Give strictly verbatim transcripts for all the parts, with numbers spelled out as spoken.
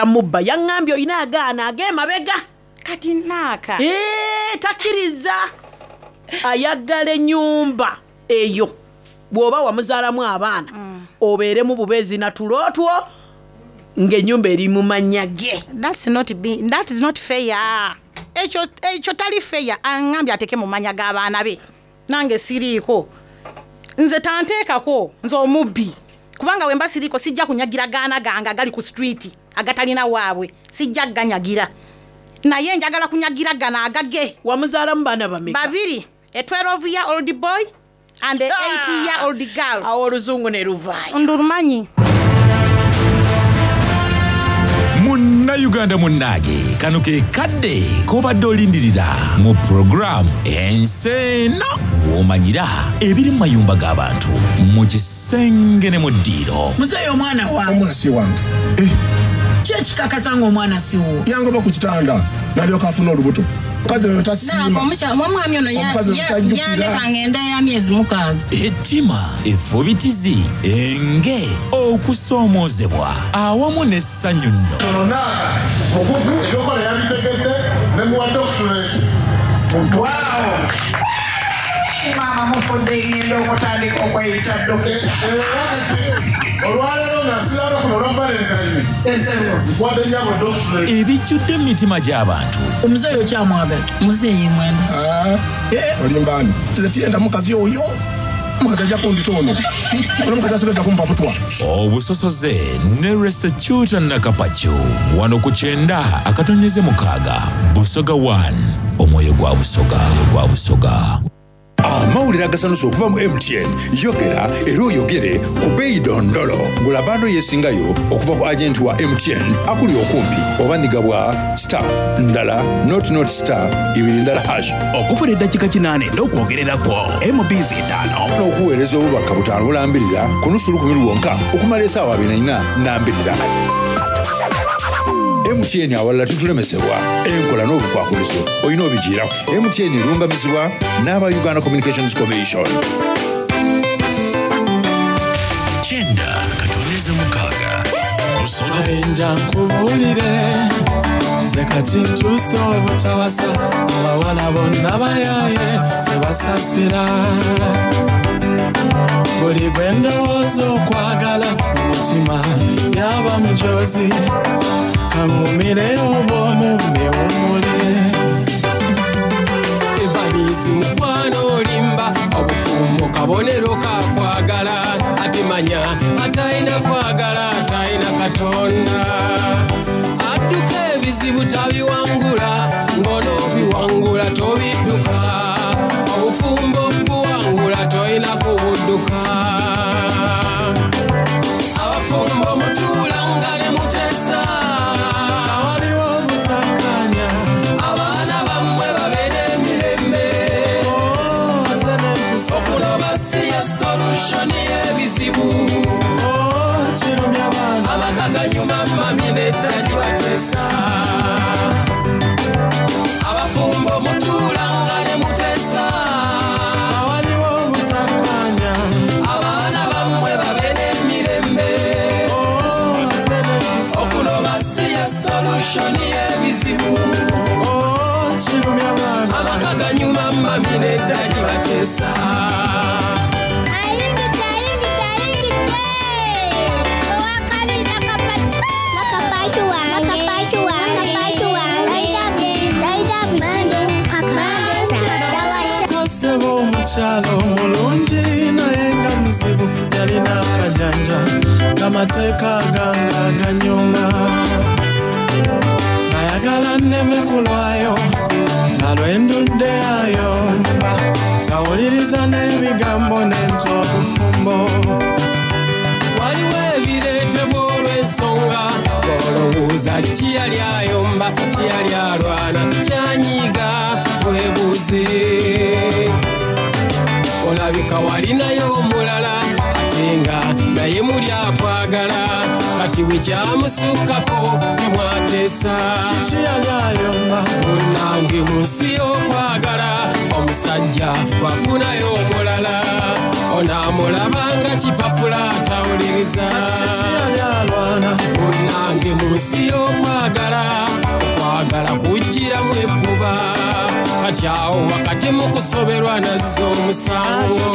Mubba yaŋŋambye olina agaana ag'emabega. Kati naaka Ee, takkiriza, ayagala ennyumba eyo bw'oba wamuzaalamu abaana obeeremu bubeezi na tulo two ng'ennyumba eri mu mannya ge. That's not be, that is not fair. Ekyo ekyo tali fair. Aŋŋambye ateke mu manya g'abaana be, nange siriiko, nze tanteekako, nze omubbi, kubanga wemba siriiko sijja kunyagira gaana gange agali ku street agatalina waabwe, sijja ganyagira, naye njagala kunyagira gano agage. Wamuzaalamu baana bameka? Babiri, a twelve year old boy and a eight year old girl. Awo oluzungu ne luvaayo. Ndulumanyi. Munnayuganda munnange, kano ke kadde k'obadde olindirira mu puroguramu Ensi Eno, w'omanyira ebiri mu mayumba g'abantu, mu kisenge ne mu ddiiro. Muzeeyi, omwana wange? Omwana si wange. Eh, Ki ekikakasa ng'omwana si wo? Yangoba ku kitanda n'alyoka afuna olubuto. Omukazi oyo tasiima. Omwami ono Omukazi oyo tajjukira. yandeka ngenda ya myezi mukaaga. Ettima, effubitizi, enge, okusoomoozebwa awamu n'essanyu nno. Ono naaka mukugu, ebyokola yabitegedde ne muwa doctorate. Maama mufudde, ngenda okutandika okweyita dokita. Era kati olwaleero nga nsiraba kuno olwa Valentine, nkwadde nyabo doctorate. Ebijjudde mu mitima gy'abantu. Omuzeeyi okyamwagala? Muzeeyi mwenda. Ah, olimbaani, nze tiyenda mukazi oyo. Omukazi ajja kundita ono, ono omukazi asigajja kumpa butwa. Obusosoze ne Resecuta Nakapacu, wano ku kyenda akatonyeze mukaaga, Busoga one, omwoyo gwa Busoga, omwoyo gwa Busoga. Amawulire agasanusa okuva mu M T N. Yogera era oyogere ku beeyi dondolo. Gula bundle yeesingayo okuva ku agenti wa M T N akuli okumpi oba nigabwa star ndala nought nought star ibiri ndala hash. Okufuna eddakiika kinaana n'okwogererako M Bs etaano. N'okuweereza obubaka butaano bulambirira ku nusu lukumi lwonka okumala esaawa abiri na nambirira. M T N, awalala tutulemesebwa. Enkola n'obukwakulizo olina obigiirako. M T N erungamizibwa n'aba Uganda Communications Commission. Kyenda katonyeza mukaaga, Busoga. Nja nkubuulire, nze kati ntuuse obutawasa. Abawala bonna bayaye, tebasasira. Buli gwe ndowooza okwagala mu mutima yaba mujozi. Kaŋŋumire obwomu mbewummule. Evanisi mukwano, olimba. Obufumbo kabonero kakwagala, ate manya atalina kwagala atalina Katonda. Adduka ebizibu tabiwangula, ng'onoobiwangula tobidduka. Obufumbo buwangula, tolina kubudduka. Abafumbo mutuulanga ne muteesa. Waliwo obutakkaanya. Abaana bammwe babeere emirembe. Ate n'empisa. Okuloba si ye solution y'ebizibu. Kirumya abaana. Amaka ganyuma mummy ne daddy bateesa. Abafumbo mutuulanga ne muteesa. Waliwo obutakkaanya. Abaana bammwe babeere emirembe. Ate n'empisa. Okuloba si ye solution y'ebizibu. Kirumya abaana. Amaka ganyuma mummy ne daddy bateesa. Ayingidde, ayingidde, ayingidde! Owakabiri Nakapati, Nakapati wange, Nakapati wange, Nakapati wange, talina buzibu, tawasa. Kaseba omukyalo omulungi naye nga muzibu, yalina akajanja kamateeka ganga ganyuma. Nayagala nneme kulwayo nga lwendudde ayomba, ngawuliriza n'ebigambo nenta obufumbo. Waliwo ebireetebwa olw'ensonga, olowooza kiyali ayomba, kiyali alwana, kyanyiga, weebuuze. Olabika walinayo omulala ate nga naye muli akwagala, kati bwe kyamusukkako temwateesa. Kiki yali ayomba? Munnange, mu nsi y'okwagala, omusajja bwafunayo omulala onaamulabanga kipapula atawuliriza. Kiki yali alwana? Munnange, mu nsi y'okwagala. Okwagala okwagala kujjiramu ebbuba, kati awo wakati mu kusoberwa nazza omusango.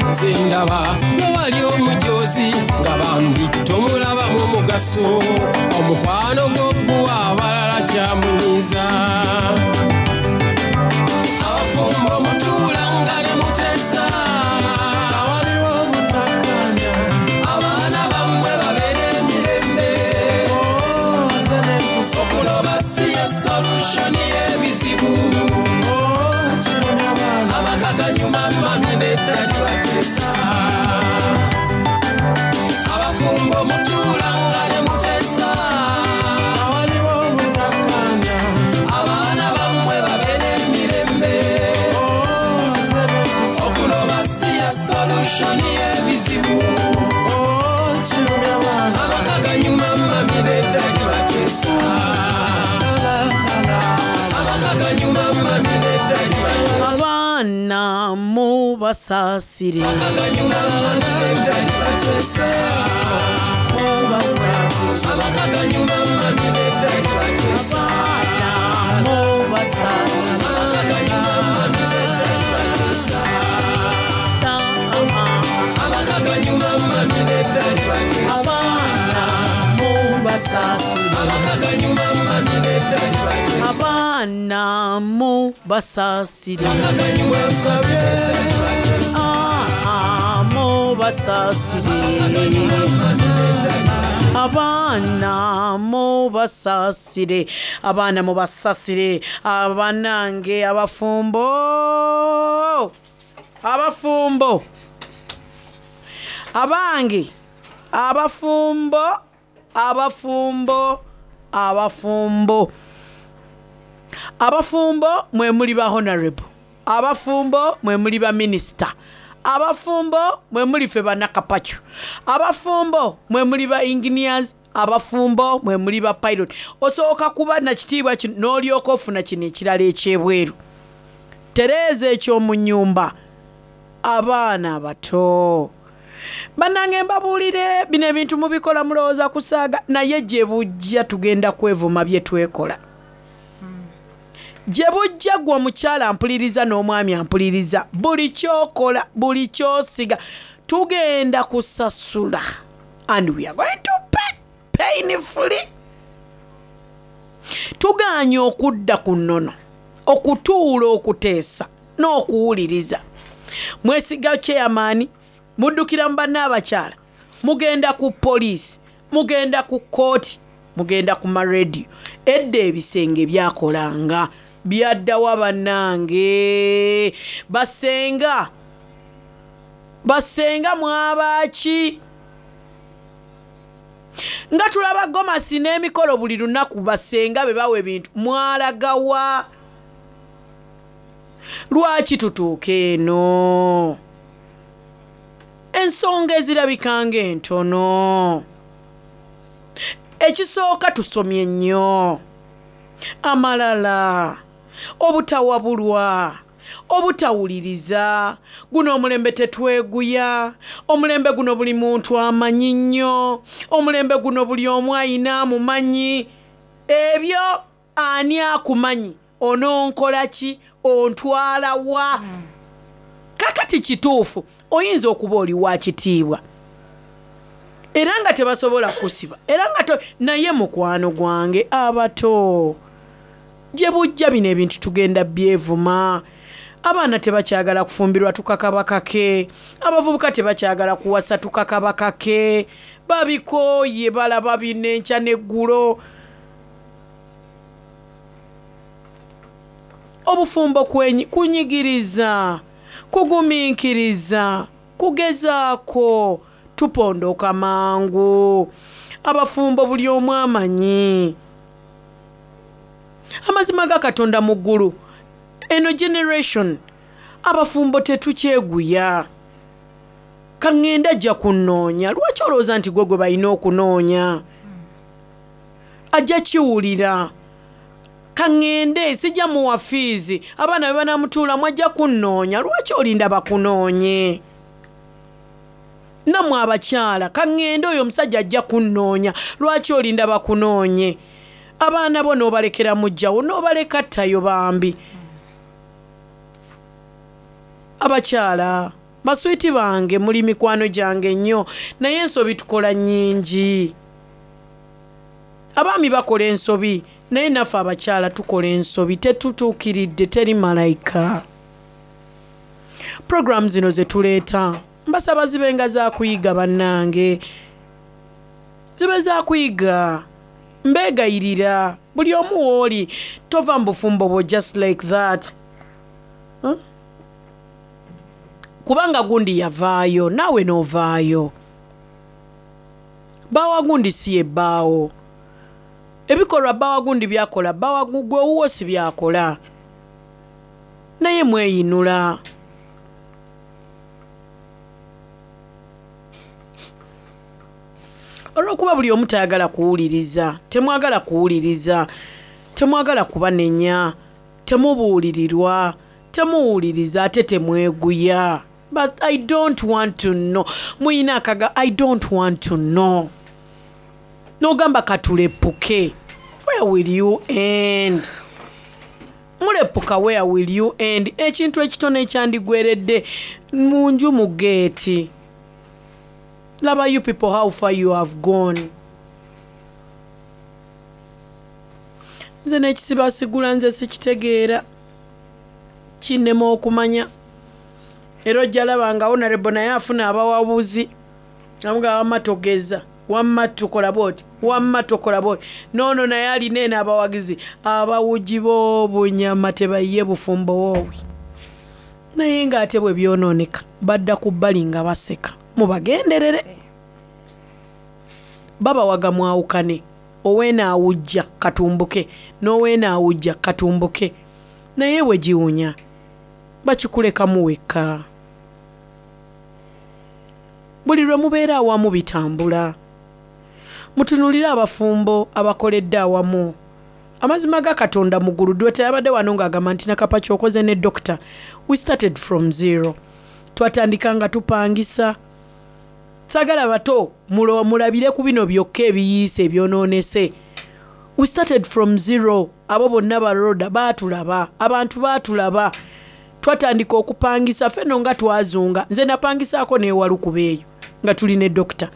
Nze ndaba nga wali omujozi nga bambi tomulabamu mugaso, omukwano gw'oguwa abalala kyamunyiiza. Abafumbo mutuula nga ne muteesa, awaliwo obutakkaanya, abaana bammwe babeere emirembe. Oh, ate n'empisa, okunoba si ye solution y'ebizibu. Oh, kirumya baana, amaka ganyuma mami nedda bateesa. Abafumbo mutuula nga ne muteesa, awaliwo obutakkaanya, abaana bammwe babeere emirembe. Oh, ate n'empisa, okunoba si ye solution y'ebizibu. Oh, kirumya baana, amaka ganyuma mami nedda bateesa. La, la, la. Amaka ganyuma mami nedda bateesa. Abaana mubasaasire, Ganyuma mami nedda bateesa. Amaka ganyuma mami nedda bateesa. Mubasaasire, Amaka ganyuma mami nedda bateesa. Amaka ganyuma mami nedda bateesa. Abaana mubasaasire, Amaka ganyuma mami nedda bateesa. Abaana mubasaasire, Amaka ganyuma mami nedda bateesa. Ah, mubasaasire, abaana mubasaasire, abaana mubasasire, abanange abafumbo, abafumbo abange, abafumbo, abafumbo, abafumbo, abafumbo mwe muli ba honorable, abafumbo mwe muli ba minisita, abafumbo mwe muli ffe bannakapacu, abafumbo mwe muli ba engineers, abafumbo mwe muli ba pilot. Osooka kuba nakitiibwa kino n'olyoka ofuna kino ekirala ekyebweru. Tereeza ekyomu nnyumba. Abaana abato bannange, mbabuulire, bino ebintu mubikola mulowooza kusaaga, naye gye bujja tugenda kwevuma bye twekola. Gye bujja, gwe omukyala ampuliriza n'omwami ampuliriza, buli kyokola, buli kyosiga, tugenda kusasula, and we are going to pay painfully. Tugaanye okudda ku nnono, okutuula, okuteesa n'okuwuliriza. Mwesiga chairman, muddukira mu banne abakyala, mugenda ku poliisi, mugenda ku kooti, mugenda ku marediyo. Edda ebisenge byakolanga byaddawa? Bannange, basenga, basenga mwabaaki nga tulaba gomasi n'emikolo buli lunaku? Basenga be bawa ebintu, mwalagawa? Lwaki tutuuka eno? Ensonga ezirabika ng'entono, ekisooka tusomye nnyo, amalala, obutawabulwa, obutawuliriza. Guno omulembe tetweguya, omulembe guno buli muntu amanyi nnyo, omulembe guno buli omu ayina amumanyi. Ebyo ani akumanyi? Ononkola ki? Ontwala wa? Kakati kituufu, oyinza okuba oli wa kitiibwa era nga tebasobola kusiba, era nga to, naye mukwano gwange, abato, gye bujja bino ebintu tugenda byevuma. Abaana tebakyagala kufumbirwa, tukakabakake. Abavubuka tebakyagala kuwasa, tukakabakake. Babikooye, balaba bino enkya n'eggulo. Obufumbo kwenyi- kunyigiriza, kugumiikiriza, kugezaako, tupondoka mangu. Abafumbo buli omu amanyi amazima ga Katonda mu ggulu. Eno generation abafumbo tetukyeguya. Kaŋŋenda ajja kunnoonya. Lwaki olowooza nti gwe gwe balina okunoonya? Ajja kiwulira. Kaŋŋende sijja muwa fiizi, abaana be banamutuulamu, ajja kunnoonya. Lwaki olinda bakunoonye? Nammwe abakyala, kaŋŋende oyo omusajja ajja kunnoonya. Lwaki olinda bakunoonye? Abaana bo n'obalekera mujjawo, n'obaleka ttayo bambi. Abakyala baswiti bange, muli mikwano gyange nnyo, naye ensobi tukola nnyingi. Abaami bakola ensobi, naye naffe abakyala tukola ensobi. Tetutuukiridde, teri malayika. Puroguramu zino ze tuleeta mbasaba zibe nga za kuyiga, bannange, zibe za kuyiga. Mbeegayirira buli omu w'oli, tova mu bufumbo bwo just like that, hmm? Kubanga gundi yavaayo, naawe n'ovaayo. Baawa gundi si yebbaawo. Ebikolwa bbawa gundi byakola, bbawa gwe owuwo si byakola, naye mweyinula. Olw'okuba buli omu tayagala kuwuliriza, temwagala kuwuliriza, temwagala kubanenya, temubuulirirwa, temuwuliriza, ate temweguya. But I don't want to know. Muyina akaga, I don't want to know. N'ogamba katulepuke, where will you end? Mulepuka, where will you end? Ekintu ekitono ekyandigweredde mu nju mu geeti. Laba you people, how far you have gone. Nze n'ekisibasigula nze sikitegeera, kinnema okumanya. Era ojja laba nga honorable naye afuna abawabuzi, amuga wamma togeza, wamma tukola bwoti, wamma tokola bwoti. Noono naye alina eno abawagizi abawugi b'obunyama, tebayiye bufumbo woobwe, naye ng'ate bwe byonooneka badda ku bbali nga baseka. Mubagenderere, babawaga mwawukane. Oweena awujja katumbuke, n'oweena awujja katumbuke, naye bwe giwunya bakikulekamu wekka. Buli lwe mubeera awamu bitambula. Mutunulire abafumbo abakoledde awamu. Amazima ga Katonda muggulu dwe teyabadde wano ng'agamba nti Nakapa kyokoze ne doctor, we started from zero. Twatandika nga tupangisa. Sagala bato mulabire ku bino byokka ebiyiise ebyonoonese. We started from zero. Abo bonna baroda baatulaba, abantu baatulaba. Twatandika okupangisa ffenno nga twazunga. Nze napangisaako n'ewalukuba eyo nga tuli ne dokita.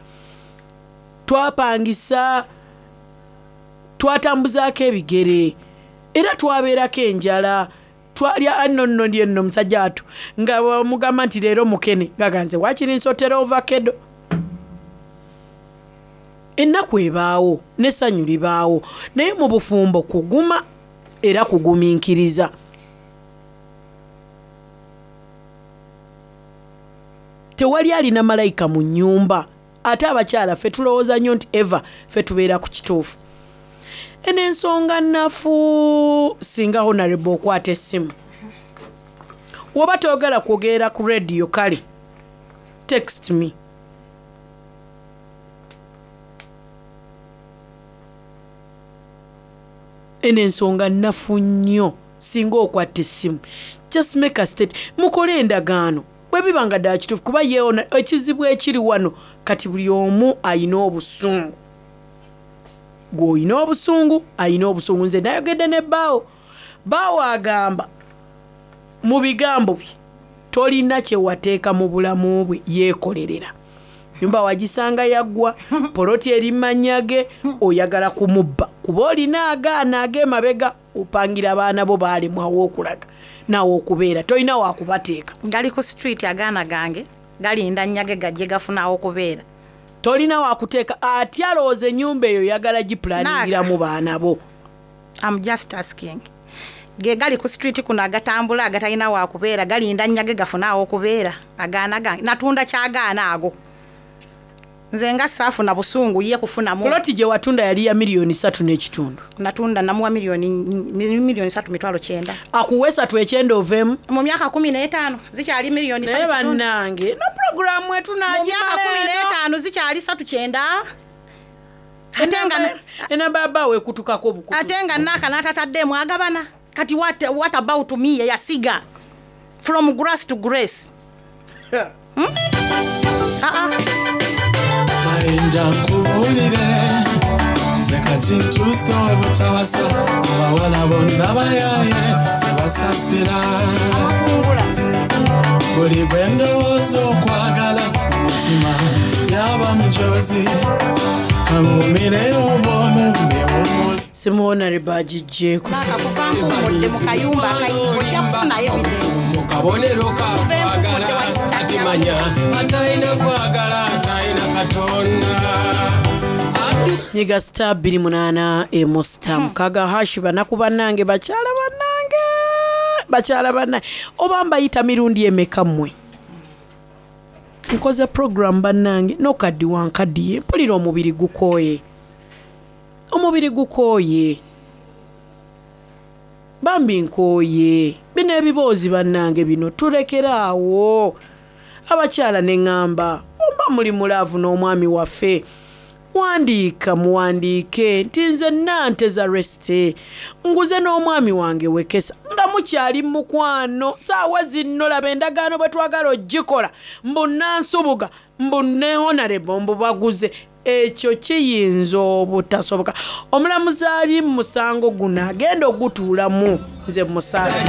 Twapangisa, twatambuzaako ebigere, era twabeerako enjala. Twalya anno nno ndi enno musajja atu nga bamugamba nti leero mukene, nga nze waakiri nsotera ovakedo. Ennaku ebaawo n'essanyu libaawo, naye mu bufumbo kuguma era kugumiikiriza. Tewali alina malayika mu nnyumba. Ate abakyala ffe tulowooza nnyo nti eva ffe tubeera ku kituufu. Eno ensonga nnafu. Singa honorable okwata essimu, woba toyogera kwogerera ku rediyo, kale text me. Eno ensonga nnafu nnyo. Singa okwata essimu, just make a state, mukole endagaano bwe biba nga ddala kituufu. Kuba yeewona ekizibu ekiri wano kati, buli omu ayina obusungu. Gw'olina obusungu, ayina obusungu. Nze nayogedde ne bbaawo. Bbaawo agamba mu bigambo bye, tolina kye wateeka mu bulamu bwe, yeekolerera. Nyumba wagisanga yaggwa, poloti eri mannya ge, oyagala kumubba kuba olina agaana ag'emabega opangira abaana bo baalemwawo okulaga naawe okubeera, tolina wakubateeka. Gali ku street agaana gange, galinda nnyage gajje gafunawo okubeera. Tolina wakuteeka. Ate alowooza ennyumba eyo oyagala gipulaningiramu baana bo. I'm just asking, ge gali ku street kuno agatambula agatalina wakubeera, galinda nnyage gafunawo okubeera? Agaana gange natunda kyagaana ago, nze nga saafuna busungu ye kufunamu. Poloti gye watunda yali ya miliyoni satu n'ekitundu. Natunda, namuwa miliyoni miliyoni satu mitwalo kyenda. Akuwa esatu ekyenda oveemu. Mu myaka kumi n'etaano zikyali miliyoni naye satu kitundu. Bannange, no puroguramu Mu myaka kumi n'etaano zikyali satu kyenda, ate nga enamba ya bbaawe ekutukako obukutusi. Ate nga naaka n'atataddeemu agabana. Kati what, what about me eyasiga from grass to grace, hmm? Ah, ah. Nja nkubuulire nze kati ntuuse obutawasa abawala bonna bayaye tebasasira buli gwe ndowooza okwagala omutima yaba mujozi kaŋŋumire obwomu mbewummule. Simuwonarebo agijjeeko. Nakakuva mpumudde mu kayumba akayiika, ojja kufuna evidence. Mu kabonero kakwagala atimanya atalina kwagala atalina Katonda. Nyiga star bbiri munaana emu star mukaga hashi. Banaku bannange, bakyala bannange, bakyala bannange, oba mbayita mirundi emeka mmwe? Nkoze program bannange, nokaddi wankaddiye, mpulira omubiri gukooye, omubiri gukooye bambi, nkooye bino ebiboozi bannange, bino tulekeraawo. Abakyala neŋŋamba, oba muli mu love n'omwami waffe, wandiika, muwandiike nti nze nanteza resite nguze n'omwami wange wekesa nga mukyali mukwano. Saawa zino laba endagaano bwe twagala ogikola, mbu nansubuga, mbu ne honorable, mbu baguze. Ekyo kiyinza obutasoboka. Omulamuzi ali mu musango guno agenda ogutuulamu, nze musaasi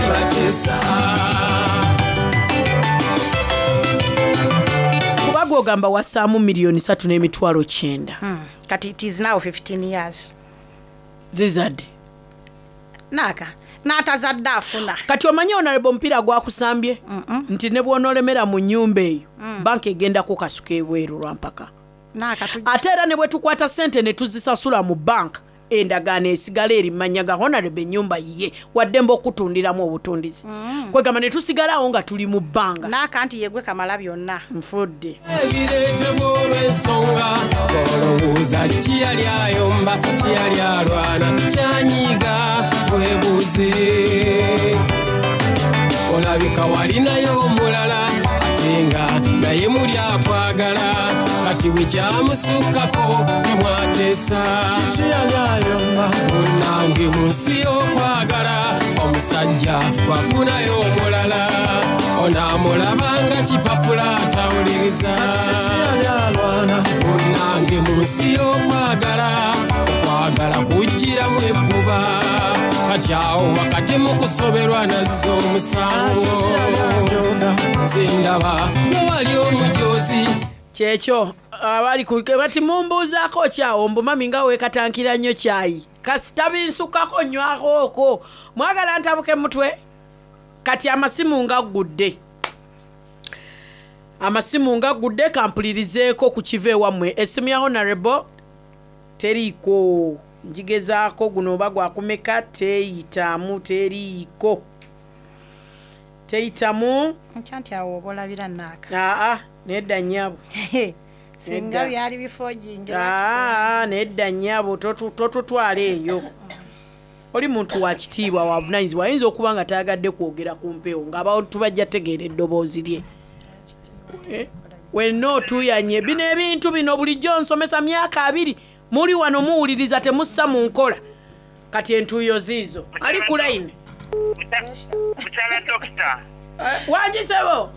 kuba gwogamba wassaamu miliyoni satu n'emitwalo kyenda. Hmm. Kati it is now fifteen years. Zizadde. Naaka n'atazadde afuna. Kati omanyi honorable omupiira gwakusambye nti ne bw'onoolemera mu nnyumba eyo, banka egenda kukasuka ebweru lwampaka. Naaka tu- Ate era ne bwe tukwata ssente ne tuzisasula mu banka, endagaano esigala eri manya ga honorable, ennyumba yiye, waddembe okutundiramu obutundizi. Kwegamba ne tusigalawo nga tuli mu bbanga. Naaka nti yegwe kamala byonna. Nfudde. Ebireetebwa olw'ensonga olowooza kiyali ayomba, kiyali alwana, kyanyiga weebuuze olabika walinayo omulala ate nga naye muli akwagala, kati bwekyamusukkako temwateesa. Kiki yali ayomba? Munnange, mu nsi y'okwagala omusajja bwafunayo omulala onaamulaba nga kipapula atawuliriza. Kiki yali alwana? Munnange, mu nsi y'okwagala okwagala kujjiramu ebbuba, kati awo wakati mu kusoberwa nazza omusango. Kiki yali anyoga? Nze ndaba wewali omujozi. Kyekyo abali ku bati mumbuuzaako kyawo mbu mami nga weekatankira nnyo kyayi, kasita binsukako nywako okwo mwagala ntabuke mutwe. Kati amasimu nga ggudde, amasimu nga ggudde, kampulirizeeko ku kiva ewammwe. Essimu ya honorable teriiko, njigezaako guno oba gwakumeka, teyitamu, teriiko, teyitamu. Nkya nti awo oba olabira naaka. Aa, nedda nnyabo. Singa Nedda. byali bifojingi. Aa, nedda nnyabo, totu- totutwala eyo. Oli muntu wa kitiibwa, wavunanyizibwa, ayinza okuba nga tayagadde kwogera ku mpewo ng'abantu bajja tegeera eddoboozi lye. Eh, wenna otuuyanye bino ebintu bino bulijjo nsomesa myaka abiri, muli wano muwuliriza temussa mu nkola. Kati entuuyo ziizo ali ku layini. Mukyala dokita. Wangisebo.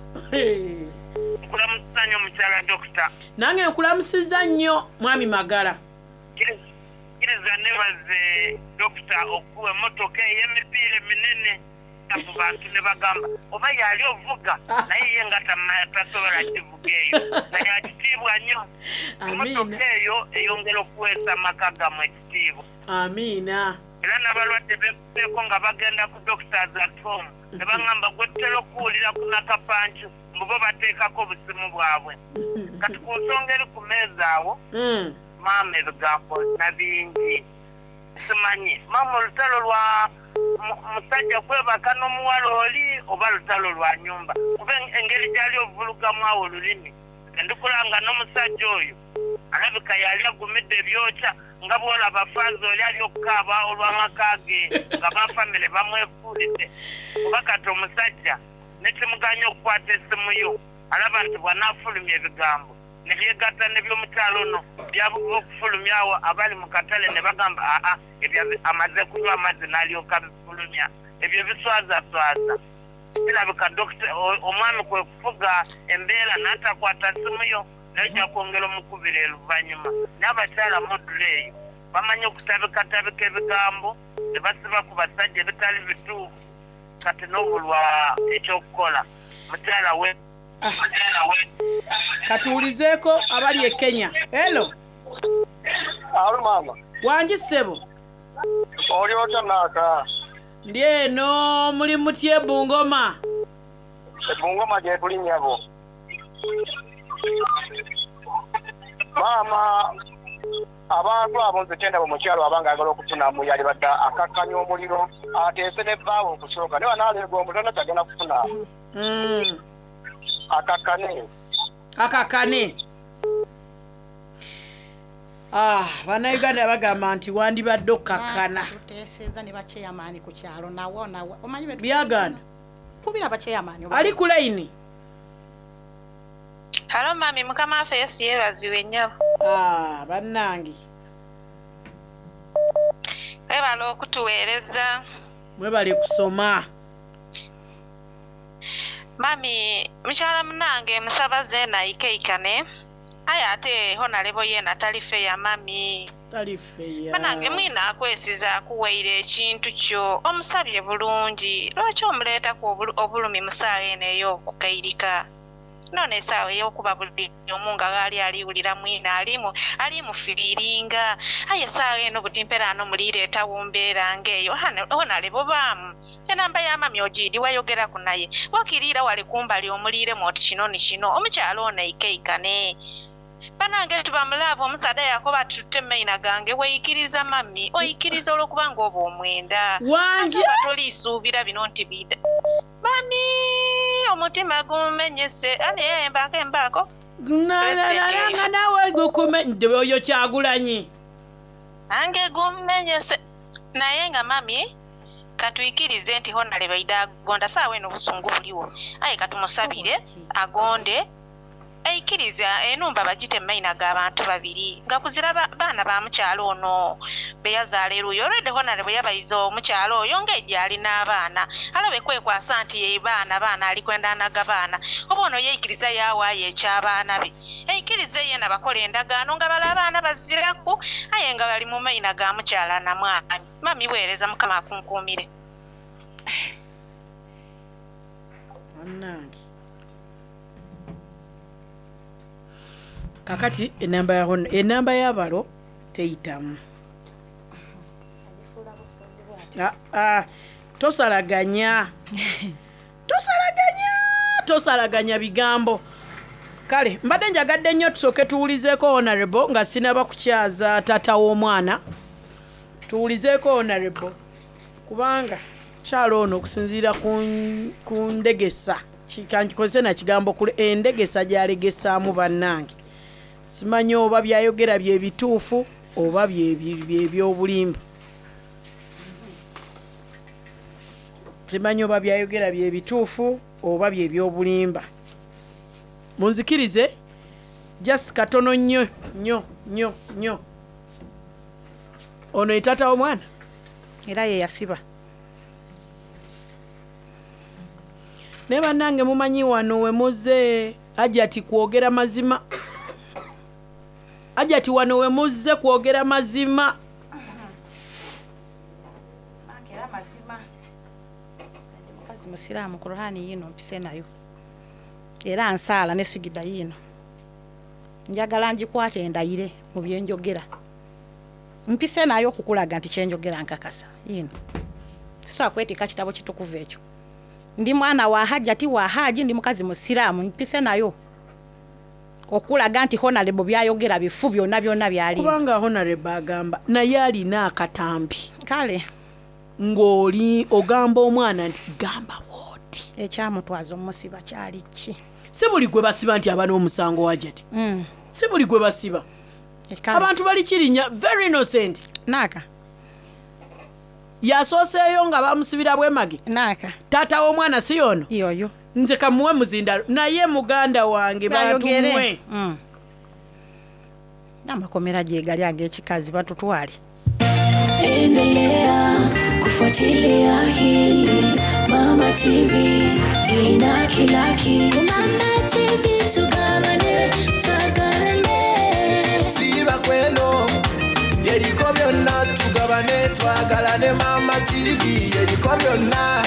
Nkulamusiza nnyo mukyala dokita. Nange nkulamusiza nnyo mwami Magala. Kkiriza nebaze dokita okuwa emmotoka ey'emipiira eminene mu bantu ne bagamba oba yali ovuga, naye ye nga tama- tasobola kivuga eyo, naye akitiibwa nnyo emmotoka eyo eyongera okuweesa amaka gammwe ekitiibwa. Amiina. Era n'abalwadde bekuseeko nga bagenda ku Doctors at Home ne baŋŋamba gwe tutera okuwulira ku Nakapancu, mbu bo bateekako obusimu bwabwe. Kati ku nsonga eri ku meeza awo, maama, ebigambo na bingi simanyi. Maama, olutalo lwa mu- musajja kwebaka n'omuwala oli oba lutalo lwa nyumba? Kuba en- engeri gyali ovulugamu awo olulimi, endikulanga n'omusajja oyo alabika yali agumidde ebyokya, nga bwolaba faaza oli ali okukaaba olw'amaka ge nga bafamire bamwefuulidde. Kuba kati omusajja nekimuganya okukwata essimu yo, alaba nti bw'anaafulumya ebigambo nebyegatta nebyomukyalo ono byabuva okufulumya awo abali mu katale ne bagamba aa, ebyo amaze kunywa amazzi n'alyoka bifulumya, ebyo biswazaswaza. Kirabika dokita o- omwami kwe kufuga embeera n'atakwata simu yo. Naye ojja kwongera omukubira oluvannyuma. N'abakyala modula eyo bamanyi okutabikatabika ebigambo ne basiba ku basajja ebitali bituufu, kati n'obulwa ekyokukola. Mukyala we mukyala we Katuwulizeeko abali e Kenya. Hello. Alo maama. Wangi ssebo. Oli otya naaka? Ndi eno, muli mutya e Bungoma? Ebungoma gye tuli nnyabo. Maama, abantu abo nze kyendaba omukyalo abanga ayagala okufunamu yalibadde akakkanya omuliro ateese ne bbaawe okusooka naye wanaaleega omuliro tonna kyagenda kufuna. Akakkane. Akakkane. Ah, bannayuganda bagamba nti wandibadde okkakkana. Tuteeseza ne bakyeyamaani ku kyalo nawo nawo omanyi be Byagaana. Kubira bakyeyamaani. Ali ku layini. Halo mami, mukama waffe Yesu yeebazibwe nnyabo. Ah, bannange. Webale okutuweereza. Mwebale kusoma. Mami, mukyala munange musaba zeena ikeikane. Aye ate honalebo yeena tali feya mami. Tali feya. Banange mwina akwesiza akuweire ekintu kyo omusabye bulungi. Lwaki omuleetako obulu- obulumi mu ssaawa eno ey'okukairika? Nno essaawa ey'okuba buli omu nga ghali aliwulira mwina alimu alimufiiringa. Aye essaawa eno buti mperaano mulireetawo mbeera ng'eyo honalebo baamu. Enamba ya mami ogiidi wayogeraku naye. Wakiriira wali kumbali omuliiremu oti kino ni kino omukyala ono eikeikane. Banange tuba mulaavu omusaadha yakoba ati tutte maina gange weeyikiriza mami oyikiriza olw'okuba nga oba omwenda. Wangi? Ate oba toliisuubira bino nti bida. Mami omutima gumenyese ani embaako embaako. Nga naawe gukume oyo Kyagulanyi. Ange gumenyese naye nga mami katwikirize nti honalebo aida agonda saawa eno obusungu buliwo aye katumusabire agonde aikiriza enumba bagite maina g'abantu babiri nga kuzira ba- baana ba mukyalo ono be yazaala eruuyi olwedde honalebo yabayiza omukyalo oyo ng'ejjo alina abaana alabe kwekwasa nti ye baana baana ali kwenda anaga baana oba ono yeikiriza yaawaayo eky'abaana be aikirize yena bakola endagaano nga bala abaana baziraku aye nga bali mu maina ga mukyala na mwami. Mami weereza mukama akunkuumire. Bannange. Kakati enamba ya hono enamba y'abalo teyitamu. Ah, ah, tosalaganya. Tosalaganya, tosalaganya bigambo. Kale mbadde njagadde nnyo tusooke tuwulizeeko honorable nga sinaba kukyaza taata w'omwana. Tuwulizeeko honorable kubanga kyalo ono okusinziira ku ku ndegesa kankikozese na kigambo kule endegesa gy'alegesaamu bannange. Simanyi oba byayogera bye bituufu oba bye bye by'obulimba. Simanyi oba byayogera bye bituufu oba bye by'obulimba. Munzikirize just katono nnyo nnyo nnyo nnyo. Ono ye taata w'omwana? Era ye yasiba. Naye bannange mumanyi wano we muzze Hajati kwogera mazima. Hajati wano we muzze kwogera mazima. Era mazima. Ndi mukazi musiraamu Kur'ani yino mpise nayo. Era nsaala ne sigida yino. Njagala ngikwate endayire mu bye njogera. Mpise nayo okukulaga nti kye njogera nkakasa. Yino. Sisobola kwetikka kitabo kitukuvu ekyo. Ndi mwana wa Hajati wa Haji, ndi mukazi musiraamu mpise nayo. Okulaga nti honorable byayogera bifu byonna byonna byali. Kubanga honorable agamba naye alina akatambi. Kale. Ng'oli ogamba omwana nti gamba bw'oti. Ekyamutwaza omusiba kyali ki? Si buli gwe basiba nti aba n'omusango Hajati. Mm. Si buli gwe basiba. Abantu bali kirinya very innocent. Naaka. Yasooseeyo nga bamusibira bwemage. Naaka. Taata w'omwana si yono? Yoyo. Nze kamuwe muzindalo naye muganda wange bantumwe. Mm. Amakomera gye gali ag'ekikazi batutwale. Endelea kufuatilia hili Mama T V ina kila kitu. Mama T V tugabane, twagala. Twagala ne Mama T V eriko byonna.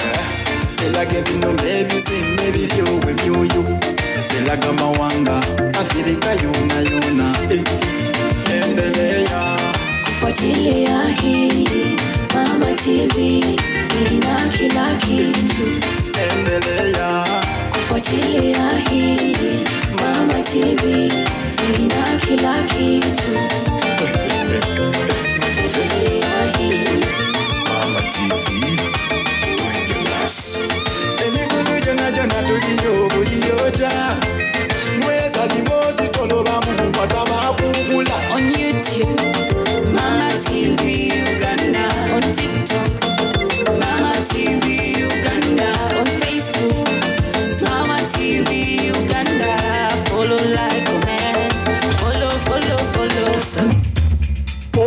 Elaga ebino n'ebizimbe ebiryowa emyoyo. Elaga mawanga Afirika yona yona. Eh, endelea. Kufuatilia hili Mama T V ina kila kitu. Endelea. Kufuatilia hili Mama T V ina kila kitu. Kufuatilia hili Mama T V twende basi. Emikutu gyonna gyonna tuliyo buliyoja. Mweza limoti tolobamu batabakugula. On YouTube, Mama T V Uganda. On TikTok, Mama T V Uganda. On Facebook, it's Mama T V Uganda. Follow, like, comment. Follow, follow, follow.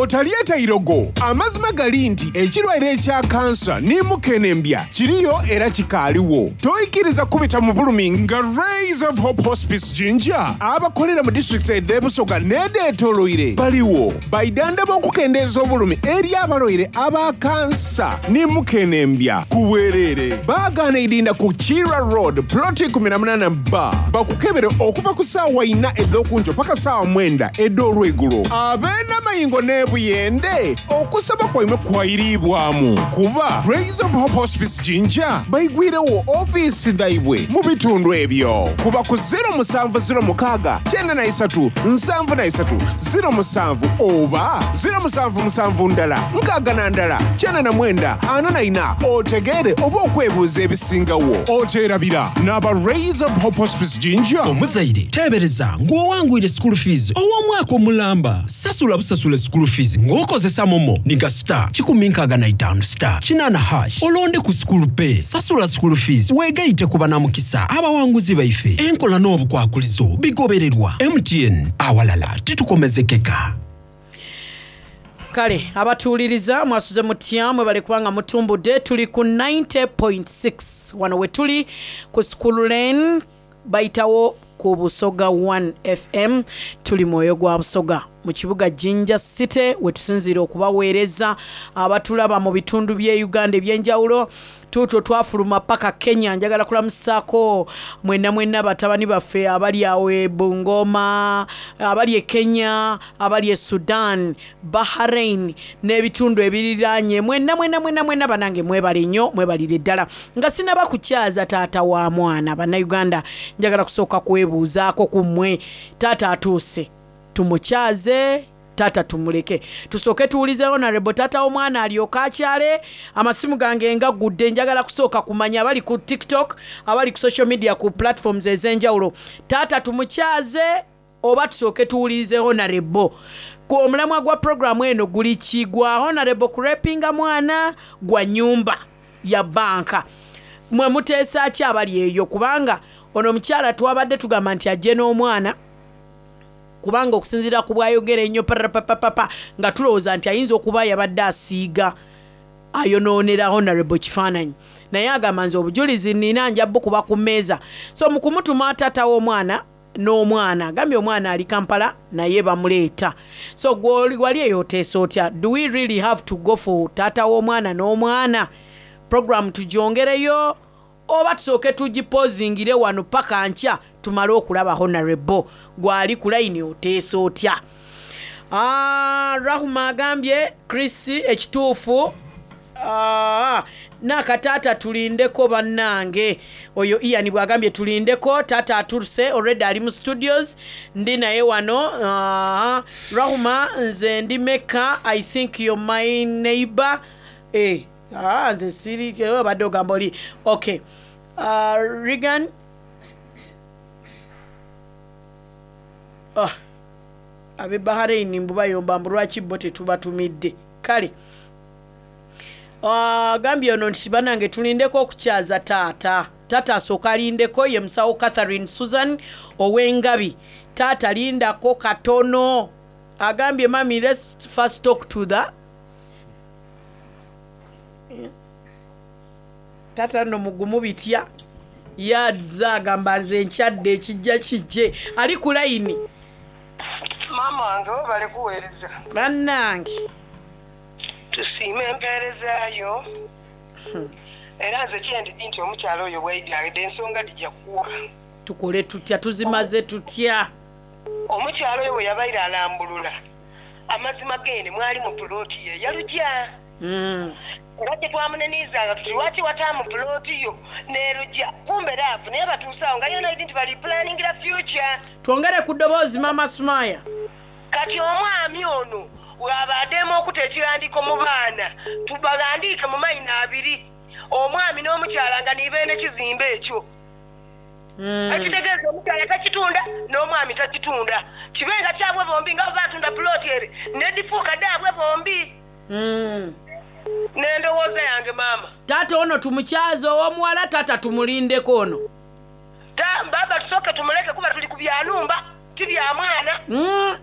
Otalyeta irogo. Amazima gali nti ekirwaire ekya kansa ne mukenembya kiriyo era kikaaliwo. Toyikiriza kubita mu bulumi nga Rays of Hope Hospice Jinja abakolera mu disitulikiti ed'ebusoga n'edeetoloire baliwo baidandaba okukendeeza obulumi eri abalwaire aba kansa ne mukenembya ku bwereere. Baagaana idinda ku Kira Road, ploti eighteen B, bakukebere okuva ku ssaawa ina ed'okunjo paka ssaawa mwenda ed'olwegulo. Ab'enamayingo n'ebuyende, okusaba kwaimwe kwayiribwamu kuba Rays of Hope Hospice Jinja baigwirewo ofiisi dhaibwe mu bitundu ebyo. Kuba ku zero musanvu zero mukaaga kyenda na isatu nsanvu na isatu zero musanvu oba zero musanvu musanvu ndala nkaaga na ndala kyenda na mwenda ana na ina otegeere oba okwebuuza ebisingawo. Oteerabira n'aba Rays of Hope Hospice Jinja. Omuzaire teebereza ng'owangwire school fees ow'omwaka omulamba. Sasula busasula school fees ng'okozesa MoMo ninga star kikumi nkaaga na itaano star kinaana hash, olonde ku school pay. Sasula school fees weegayite ku banamukisa abawanguzi baife. Enkola n'obukwakulizo bigobererwa. M T N, awalala titukomezekeka. Kale abatuwuliriza, mwasuze mutya? Mwebale kubanga mutumbudde. Tuli ku ninety point six wano we tuli ku School Lane, bayitawo ku Busoga one F M. Tuli mwoyo gwa Busoga mu kibuga Jinja City we tusinziira okubaweereza abatulaba mu bitundu by'e Uganda ebyenjawulo. Tuutwo twafuluma paka Kenya. Njagala kulamusaako mwenna mwenna batabani baffe abali awo e Bungoma, abali e Kenya, abali e Sudan, Bahrain n'ebitundu ebiriraanye. Mwenna mwenna mwenna mwenna banange, mwebale nnyo, mwebalire ddala. Nga sinaba kukyaza taata wa mwana, bannayuganda, njagala kusooka kwebuuzaako ku mmwe. Taata atuuse, tumukyaze taata, tumuleke? Tusooke tuwulize honorable taata w'omwana alyoke akyale. Amasimu gange ngaggudde, njagala kusooka kumanya abali ku TikTok, abali ku social media, ku platforms ez'enjawulo. Taata tumukyaze oba tusooke tuwulirize honorable? Ku omulamwa gwa programu eno guli ki? Gwa honorable kurepinga mwana, gwa nyumba ya banka? Mwe muteesa ki abali eyo? Kubanga ono omukyala twabadde tugamba nti ajje n'omwana, kubanga okusinziira ku bwayogera ennyo parapapapapa, nga tulowooza nti ayinza okuba yabadde asiiga ayonoonera honorable kifaananyi, naye agamba nze obujulizi nina, nja bukuba ku mmeeza. So mu kumutuma taata w'omwana n'omwana, agambye omwana ali Kampala naye bamuleeta. So gwoli wali eyo oteesa otya? Do we really have to go for taata w'omwana n'omwana? Program tugyongereyo oba tusooke tugipozingire wano paka nkya tumale okulaba honorable? Gwali ku layini, oteesa otya? Ah, Rahuma agambye Chris ekituufu. Ah, nakataata tulindeko bannange. Oyo Ian bwagambye tulindeko, taata atuse already, ali mu studios, ndi naye wano. Ah, Rahuma, nze ndi Meka, I think you're my neighbor. Eh, ah, nze siri eh, obadde ogamba oli okay. uh, regan ah, ab'e Bahrain mbu bayomba mbu lwaki bo tetubatumidde. Kale agambye ono nti banange tulindeko okukyaza taata. Taata asooka alindeko. Ye musawo Catherine Susan ow'engabi. Taata lindako katono. Agambye mami, let's first talk to the taata. Nno mugumu bitya yadza agamba nze nkyadde, ekijja kijje. Ali ku layini. Maama wange, webale kuweereza. Bannange. Tusiime empeerezaayo. Era nze kyendidi nti omukyala oyo bwaidde ensonga dijja kuwa. Tukole tutya? Tuzimaze tutya? Omukyala oyo bwe yabaire alambulula amazima gene mwali mu pulooti ye yalujja. Mm. Era kye twamuneniizanga tuti lwaki wataamu pulooti yo n'erujja, kumbe raafu naye batuusaawo nga yona idi nti bali pulaningira future. Twongere ku ddoboozi, mama Sumaya. Kati omwami ono bw'abaddemu okuta ekiwandiiko mu baana, tubagandiike mu mayina abiri, omwami n'omukyala nga nibeene kizimbe ekyo. Mm. Ekitegeeza omukyala takitunda n'omwami takitunda, kibe nga kyabwe bombi, nga bwe batunda pulooti ere nedifuuka daabwe bombi. Mm. N'endowooza yange maama. Taata ono tumukyaze ow'omuwala, taata tumulindeko ono? Ta- baba tusooke tumuleke, kuba tuli ku byanumba ti bya mwana. Mm.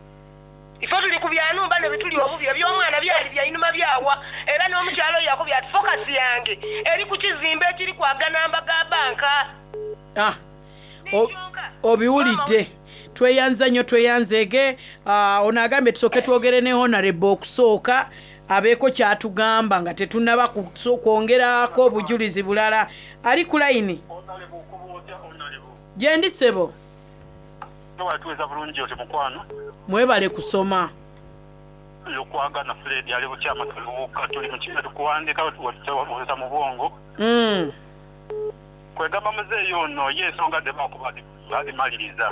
Ife tuli ku byanumba ne bituli obubi, eby'omwana byali byainuma byawa. Era n'omukyalo oyo yakubye ati fokasi yange eri ku kizimbe ekiri kwaganamba ga banka. Ah, o- obiwulidde. Tweyanza nnyo, tweyanzeege. Ah, ono agambye tusooke twogere ne honorable okusooka abeeko kyatugamba nga tetunnaba kuso- kwongerako obujulizi bulala. Ali ku layini gyendi, ssebo. Tuweza bulungi oti mukwano. Mwebale kusoma. Lukwagana Fred ali bukyama tuluwuka tuli mu tukuwandika tuweza mu bwongo. Mm. Kwegamba muzeeyi ono ye ensonga de bakuba bazimaliriza.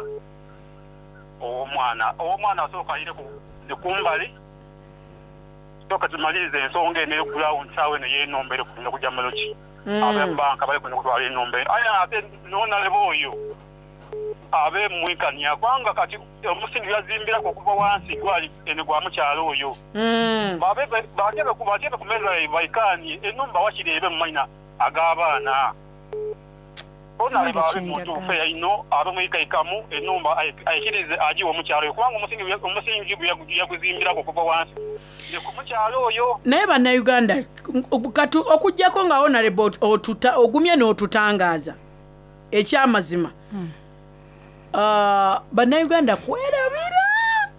Ow'omwana ow'omwana asooka ayire ku kumbali, sooka tumalirize ensonga eno ey'okugulawo nsaawa eno y'enombe eri kugenda kujja maloki. Mm. Abebanka bali kugenda kutwala enombe, aye ate nonaleba oyo abe mwikanya, kubanga kati omusingi yazimbirako okuva wansi gwali eno gwa mukyalo oyo. Mm. Babe batebe ku batebe ku meza baikanye enumba wakiri ebe mu mayina ag'abaana. Onaleba abe muntu feya ino abe mwikaikamu enumba ayikirize agiwe omukyalo oyo, kubanga omusingi omusingi gwe yaguzimbirako okuva wansi ne ku mukyalo oyo. Naye bannayuganda katu okugjako nga honorable otuta ogumye n'otutangaaza ekyamazima, Ah, bannayuganda kwerabira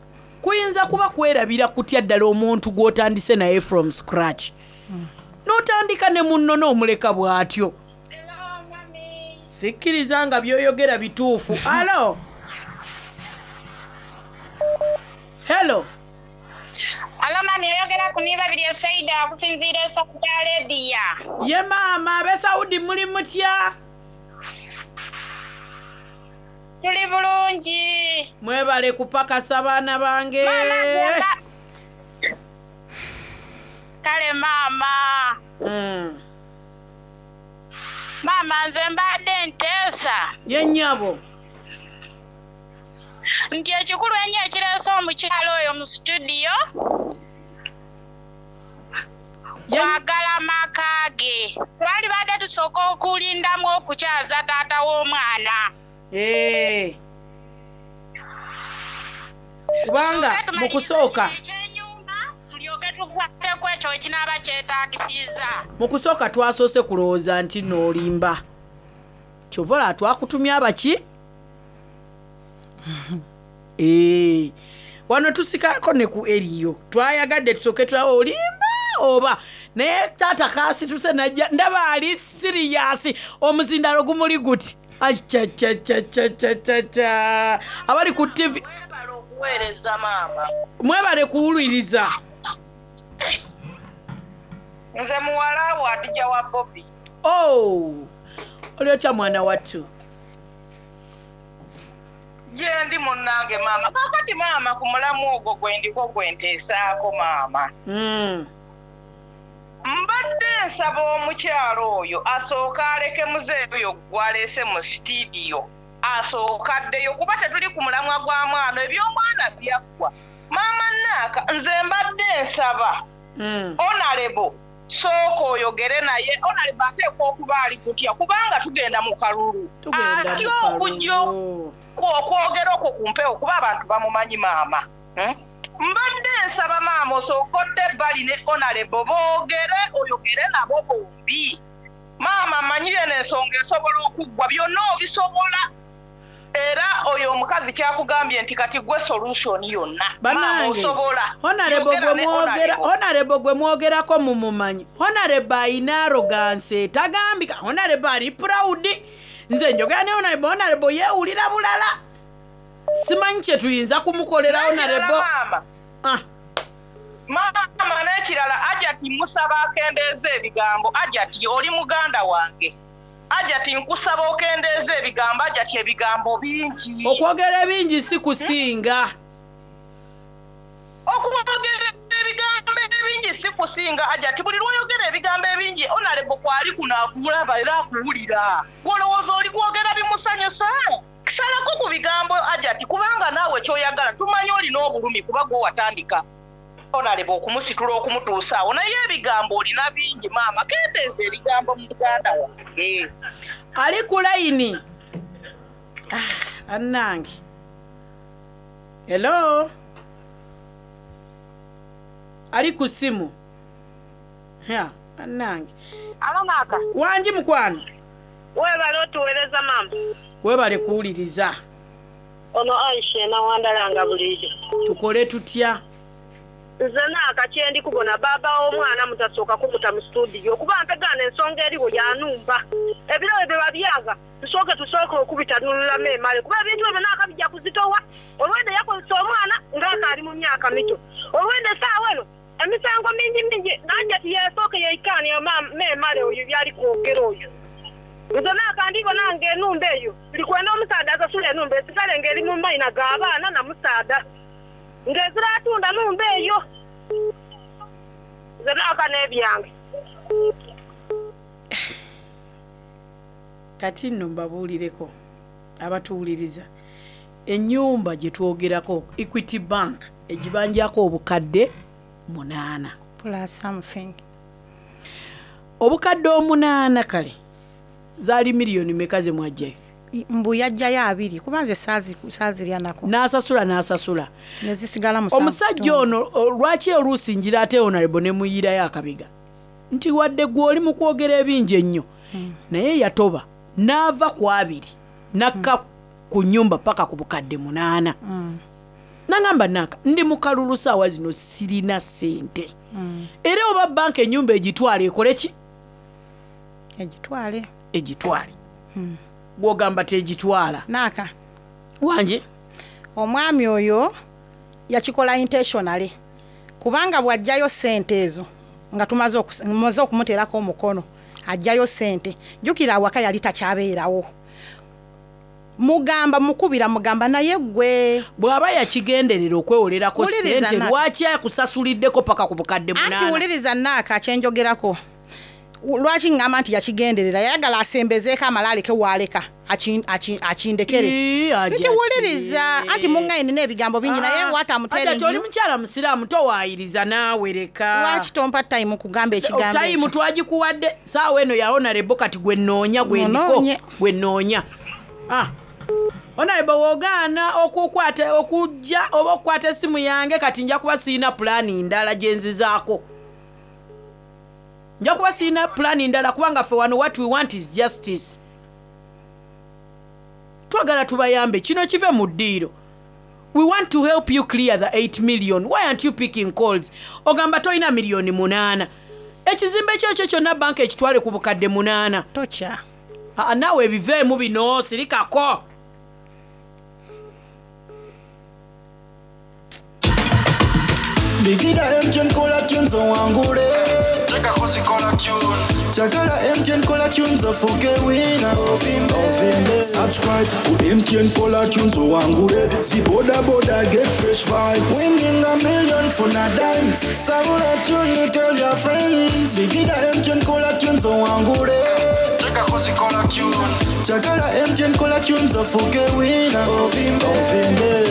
kuyinza kuba kwerabira kutya ddala omuntu gw'otandise naye from scratch, n'otandika ne munno n'omuleka bw'atyo? Sikkiriza nga by'oyogera bituufu. Alo, hello. Alo mami, oyogera ku niba biri Saida okusinziira e Saudi Arabia. Ye maama, ab'e Saudi muli mutya? Tuli bulungi. Mwebale kupakasa baana bange. Kale maama. Mm. Maama nze mbadde nteesa. Ye nnyabo. Nti ekikulu ennyo ekireese omukyalo oyo mu situdiyo kwagala maka ge. Twali badde tusooka okulindamu okukyaza taata w'omwana. Eh. Kubanga mu kusooka Tulyoke tukwateko ekyo ekinaaba kyetaagisiza. Mu kusooka twasoose kulowooza nti n'olimba, kyova olaba twakutumya abaki. Eh, wano tusikako ne ku eriyo twayagadde tusooke tulabe olimba oba, naye taata kasituse najja ndaba ali siriyasi, omuzindalo gumuli guti acacacacacaca. Abali ku T V Okuweereza maama. Mwebale kuwuliriza. Nze muwala wo Adija wa Bobi. Oh, oli otya mwana wattu? Gye ndi munnange maama. Kaakati maama ku mulamu ogwo gwe ndiko gwe nteesaako maama. Mm. Mbadde nsaba omukyalo oyo asooke aleke muzeeyi oyo gw'aleese mu sitidiyo asooke addeyo, kuba tetuli ku mulamwa gwa mwana, eby'omwana byaggwa. Maama Naaka, nze mbadde nsaba Mm. onalebo sooka oyogere naye. Onalebo ateekwa okuba ali kutya kubanga tugenda mu kalulu. Tugenda atya mu kalulu. okujja okwogera okwo ku mpewo kuba abantu bamumanyi maama. Hmm? Mbadde nsaba maama osooka odde ebbali ne onalebo boogere, oyogere nabo bombi. Maama mmanyi eno ensonga esobola okuggwa, byonna obisobola. Era oyo omukazi kyakugambye nti kati gwe solution yonna. Maama Bannange, osobola. Honorable Yogera gwe ne mwogera Honorable. Honorable gwe mwogerako mumumanyi. Honorable ayina arrogance etagambika. Honorable ali proud. Nze njogera ne Honorable, Honorable yeewulira bulala. Simanyi kye tuyinza kumukolera N'ekirala Honorable. maama. Ah. Maama n'ekirala Ajati musaba akendeeze ebigambo. Ajati oli muganda wange. Ajati nkusaba okendeeze ebigambo. Ajati ebigambo bingi. Okwogera ebingi si kusinga. Okwogera ebigambo ebingi si kusinga Ajati. Buli lw'oyogera ebigambo ebingi Honorable kwali kuno akulaba era akuwulira. Gw'olowooza oli kwogera bimusanyusa? Salako ku bigambo Ajati kubanga naawe ky'oyagala tumanyi olina obulumi kuba gwe watandika Honorable okumusitula okumutuusa awo naye ebigambo olina bingi maama kendeeza ebigambo muganda wange. Ali ku layini. Ah, annange. Hello. Ali ku ssimu. Ya, annange. Alo maaka. Wangi mukwano. Weebale otuweereza maama. Weebale kuwuliriza. Ono Aisha enawandala nga bulijjo. Tukole tutya? Nze naaka kye ndi kubona baaba w'omwana mutasooka kumuta mu situdiyo kuba mpegaana ensonga eriwo yanumba. Ebiro ebyo babyaga tusooke tusooke okubitanululamu emale kuba ebintu ebyo naaka bijja kuzitowa. Olwedde yakozesa omwana ng'akaali mu myaka mito. Olwedde essaawa eno emisango mingi mingi najja tiyesooke yeikaani memale oyo byali kwogera oyo. Nze naaka ndibona nga enumba eyo likwenda omusaadha asasula enumba esigale ng'eri mu mayina g'abaana na musaadha ng'ezira atunda numba eyo nze naaka n'ebyange. Kati nno mbabuulireko abatuwuliriza ennyumba gye twogerako Equity Bank egibanjako obukadde munaana plus something obukadde omunaana kale zaali miliyoni meka ze mwajjayo mbu yajjayo abiri kuba nze saazi- saazirya nako n'asasula n'asasula nezisigala musanvu omusajja kitundu. ono o, lwaki oluusi njira ate Honorable ne muyirayo akabiga nti wadde gwe oli mu kwogera ebingi ennyo Hmm. naye yatoba n'ava ku abiri n'akka ku nnyumba paka ku bukadde munaana Mm. nangamba naka ndi mu kalulu saawa zino sirina ssente Mm. era oba banka ennyumba egitwale ekole ki egitwale egitwale Mm. gwogamba tegitwala naaka wanje omwami oyo yakikola intentionally kubanga bw'ajjayo ssente ezo nga tumaze okus- mumaze okumuteerako omukono ajjayo ssente jjukira awaka yali takyabeerawo mugamba mukubira mugamba naye gwe bw'aba yakigenderera okwewolerako Wuliriza ssente Naka. lwaki akusasuliddeko paka ku bukadde anti munaana wuliriza naaka kyenjogerako lwaki ŋŋamba nti yakigenderera yayagala asembezeeko amala aleke waaleka akin- akin- akindekere Ii, nti Ajati. wuliriza anti muŋŋaye nina ebigambo bingi naye Ah, what I'm Ajati, telling oli you mukyala musiraamu towaayiriza naawe leka lwaki tompa time kugamba ekigambo tayimu ekyo? twagikuwadde saawa eno ya honorable kati gwe nnoonya gwe ndiko Munoonye. gwe nnoonya Ah. Honorable w'ogaana okukwata okujja oba okukwata essimu yange kati nja kuba sirina pulaani ndala gye nzizaako nja kuba sirina pulaani ndala kubanga ffe wano what we want is justice twagala tubayambe kino kive mu ddiiro we want to help you clear the eight million why aren't you picking calls ogamba tolina miliyoni munaana ekizimbe kyekyo kyonna banka ekitwale ku bukadde munaana tokya Aa, naawe ebiveemu bino sirikako Bigida M T N kola tunes owangule Chagala M T N kola tunes ofuke wina ovimbe. Subscribe ku M T N kola tunes owangule Si boda boda get fresh vibes Winning a million for na dimes Sabula tune you tell your friends Bigida M T N kola tunes owangule Chagala M T N kola tunes ofuke wina ovimbe, ovimbe.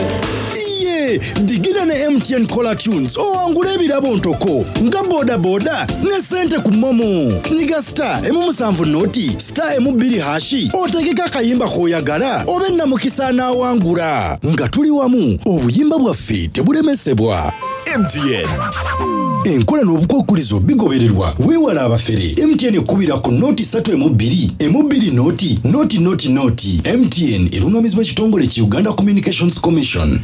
Iye digida ne M T N Caller Tunes owangula ebirabo ntoko nga bodaboda ne sente ku momo nyiga star emu musanvu noti star emu bbiri hashi otegeke akayimba k'oyagala obe namukisa anaawangula nga tuli wamu obuyimba bwaffe tebulemesebwa. M T N. Enkola n'obukwakulizo bigobererwa. Weewala abafere. M T N ekubira ku nooti ssatu emu bbiri emu bbiri nooti nooti nooti nooti. M T N erungamizibwa ekitongole ki Uganda Communications Commission.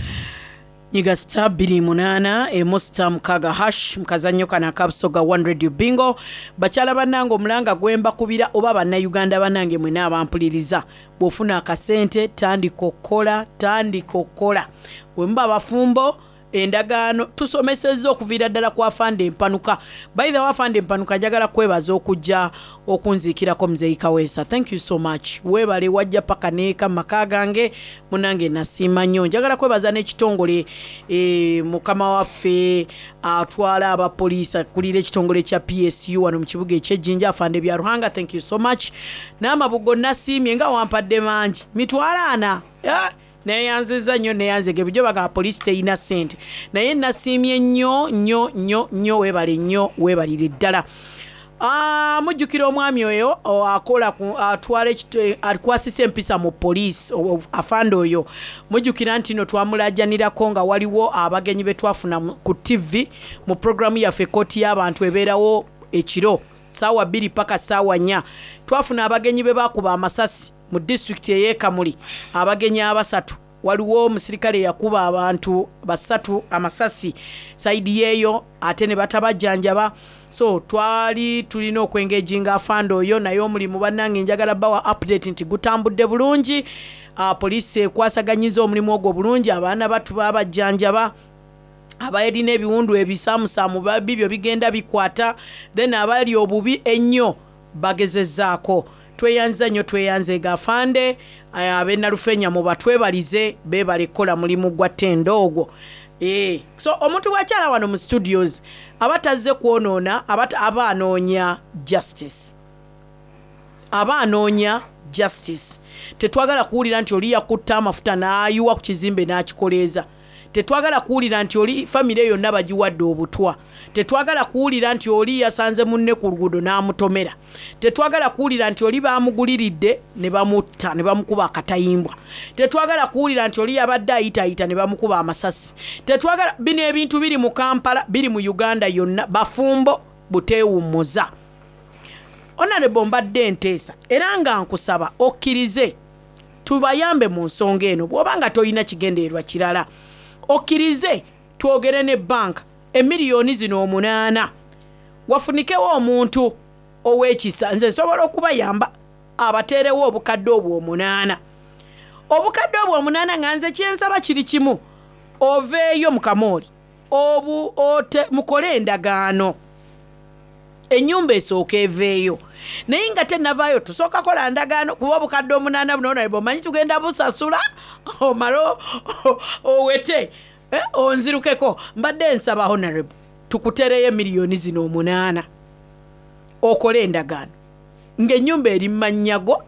Nyiga star bbiri munaana emu star mukaaga hash mukazannyo kano akabusoga One Radio Bingo. Bakyala bannange, omulanga gwe mbakubira, oba bannayuganda bannange mwena abampuliriza, bw'ofuna akasente tandika okukola, tandika okukola. Bwe muba bafumbo, endagaano tusomesezza okuviira ddala ku Afande Empanuka. By the way, Afande Empanuka, njagala kwebaza okujja okunziikirako Muzeeyi Kaweesa. Thank you so much, weebale wajja paka neeka mu maka gange. Munange, nasiima nnyo. Njagala kwebaza n'ekitongole, e, mukama waffe atwala abapoliisi, akulira ekitongole kya P S U wano mu kibuga ekyejjinja, Afande Byaruhanga, thank you so much. N'amabugo nasiimye nga wampadde mangi, mitwalo ana. Yeah. Neyanziza nnyo, neyanzege. Bulijjo bagamba poliisi teyina ssente, naye nasiimye nnyo nnyo nnyo nnyo. Weebale nnyo, weebalire ddala. Ah, mujjukira omwami oyo o, akola ku- atwala ekito- akwasisa empisa mu poliisi, o- o- afande oyo. Mujjukira nti no twamulajanirako nga waliwo abagenyi be twafuna mu- ku T V mu programu yaffe Kooti y'Abantu ebeerawo ekiro saawa bbiri paka saawa nnya. Twafuna abagenyi be bakuba amasasi mu disitulikiti ey'ekamuli, abagenyi abasatu. Waliwo omusirikale yakuba abantu basatu amasasi side yeeyo, ate ne batabajjanjaba. So twali tulina okwengeginga afande oyo, naye omulimu, bannange, njagala bawa update nti gutambudde bulungi. uh, poliisi ekwasaganyiza omulimu ogwo bulungi. Abaana batu babajjanjaba, abalina ebiwundu ebisaamusaamu bibyo bigenda bikwata, then abali obubi ennyo bagezezzaako. Tweyanza nnyo, tweyanze afande. Ab'enalufenya mubatwebalize, beebale kukola mulimu gwa ttendo ogwo. Eh, so omuntu bwakyala wano mu studios aba tazze kwonoona, aba aba anoonya justice, aba anoonya justice. Tetwagala kuwulira nti oli yakutta amafuta n'ayiwa ku kizimbe n'akikoleeza. Tetwagala kuwulira nti oli famire yonna bagiwadde obutwa. Tetwagala kuwulira nti oli yasanze munne ku luguudo n'amutomera. Tetwagala kuwulira nti oli bamuguliridde ne bamutta ne bamukuba akatayimbwa. Tetwagala kuwulira nti oli yabadde ayitaayita ne bamukuba amasasi. Tetwagala bino ebintu biri mu Kampala, biri mu Uganda yonna. Bafumbo buteewummuza. Honorable, mbadde nteesa era nga nkusaba okkirize tubayambe mu nsonga eno. Bw'oba nga tolina kigendererwa kirala, okkirize twogere ne banka, emiliyoni zino omunaana wafunikewo omuntu ow'ekisa. Nze nsobola okubayamba abateerewo obukadde obwo omunaana, obukadde obwo omunaana, nga nze kyensaba kiri kimu: oveeyo mu kamooli obu ote mukole endagaano, ennyumba esooka eveeyo. Naye nga tenavaayo, tusooka kola ndagaano, kuba obukadde omunaana buno naye omanyi tugenda busasula, omale owete, eh, onzirukeko. Mbadde nsaba, honorable, tukutereyo emiliyoni zino omunaana, okole endagaano ng'ennyumba eri mmanyago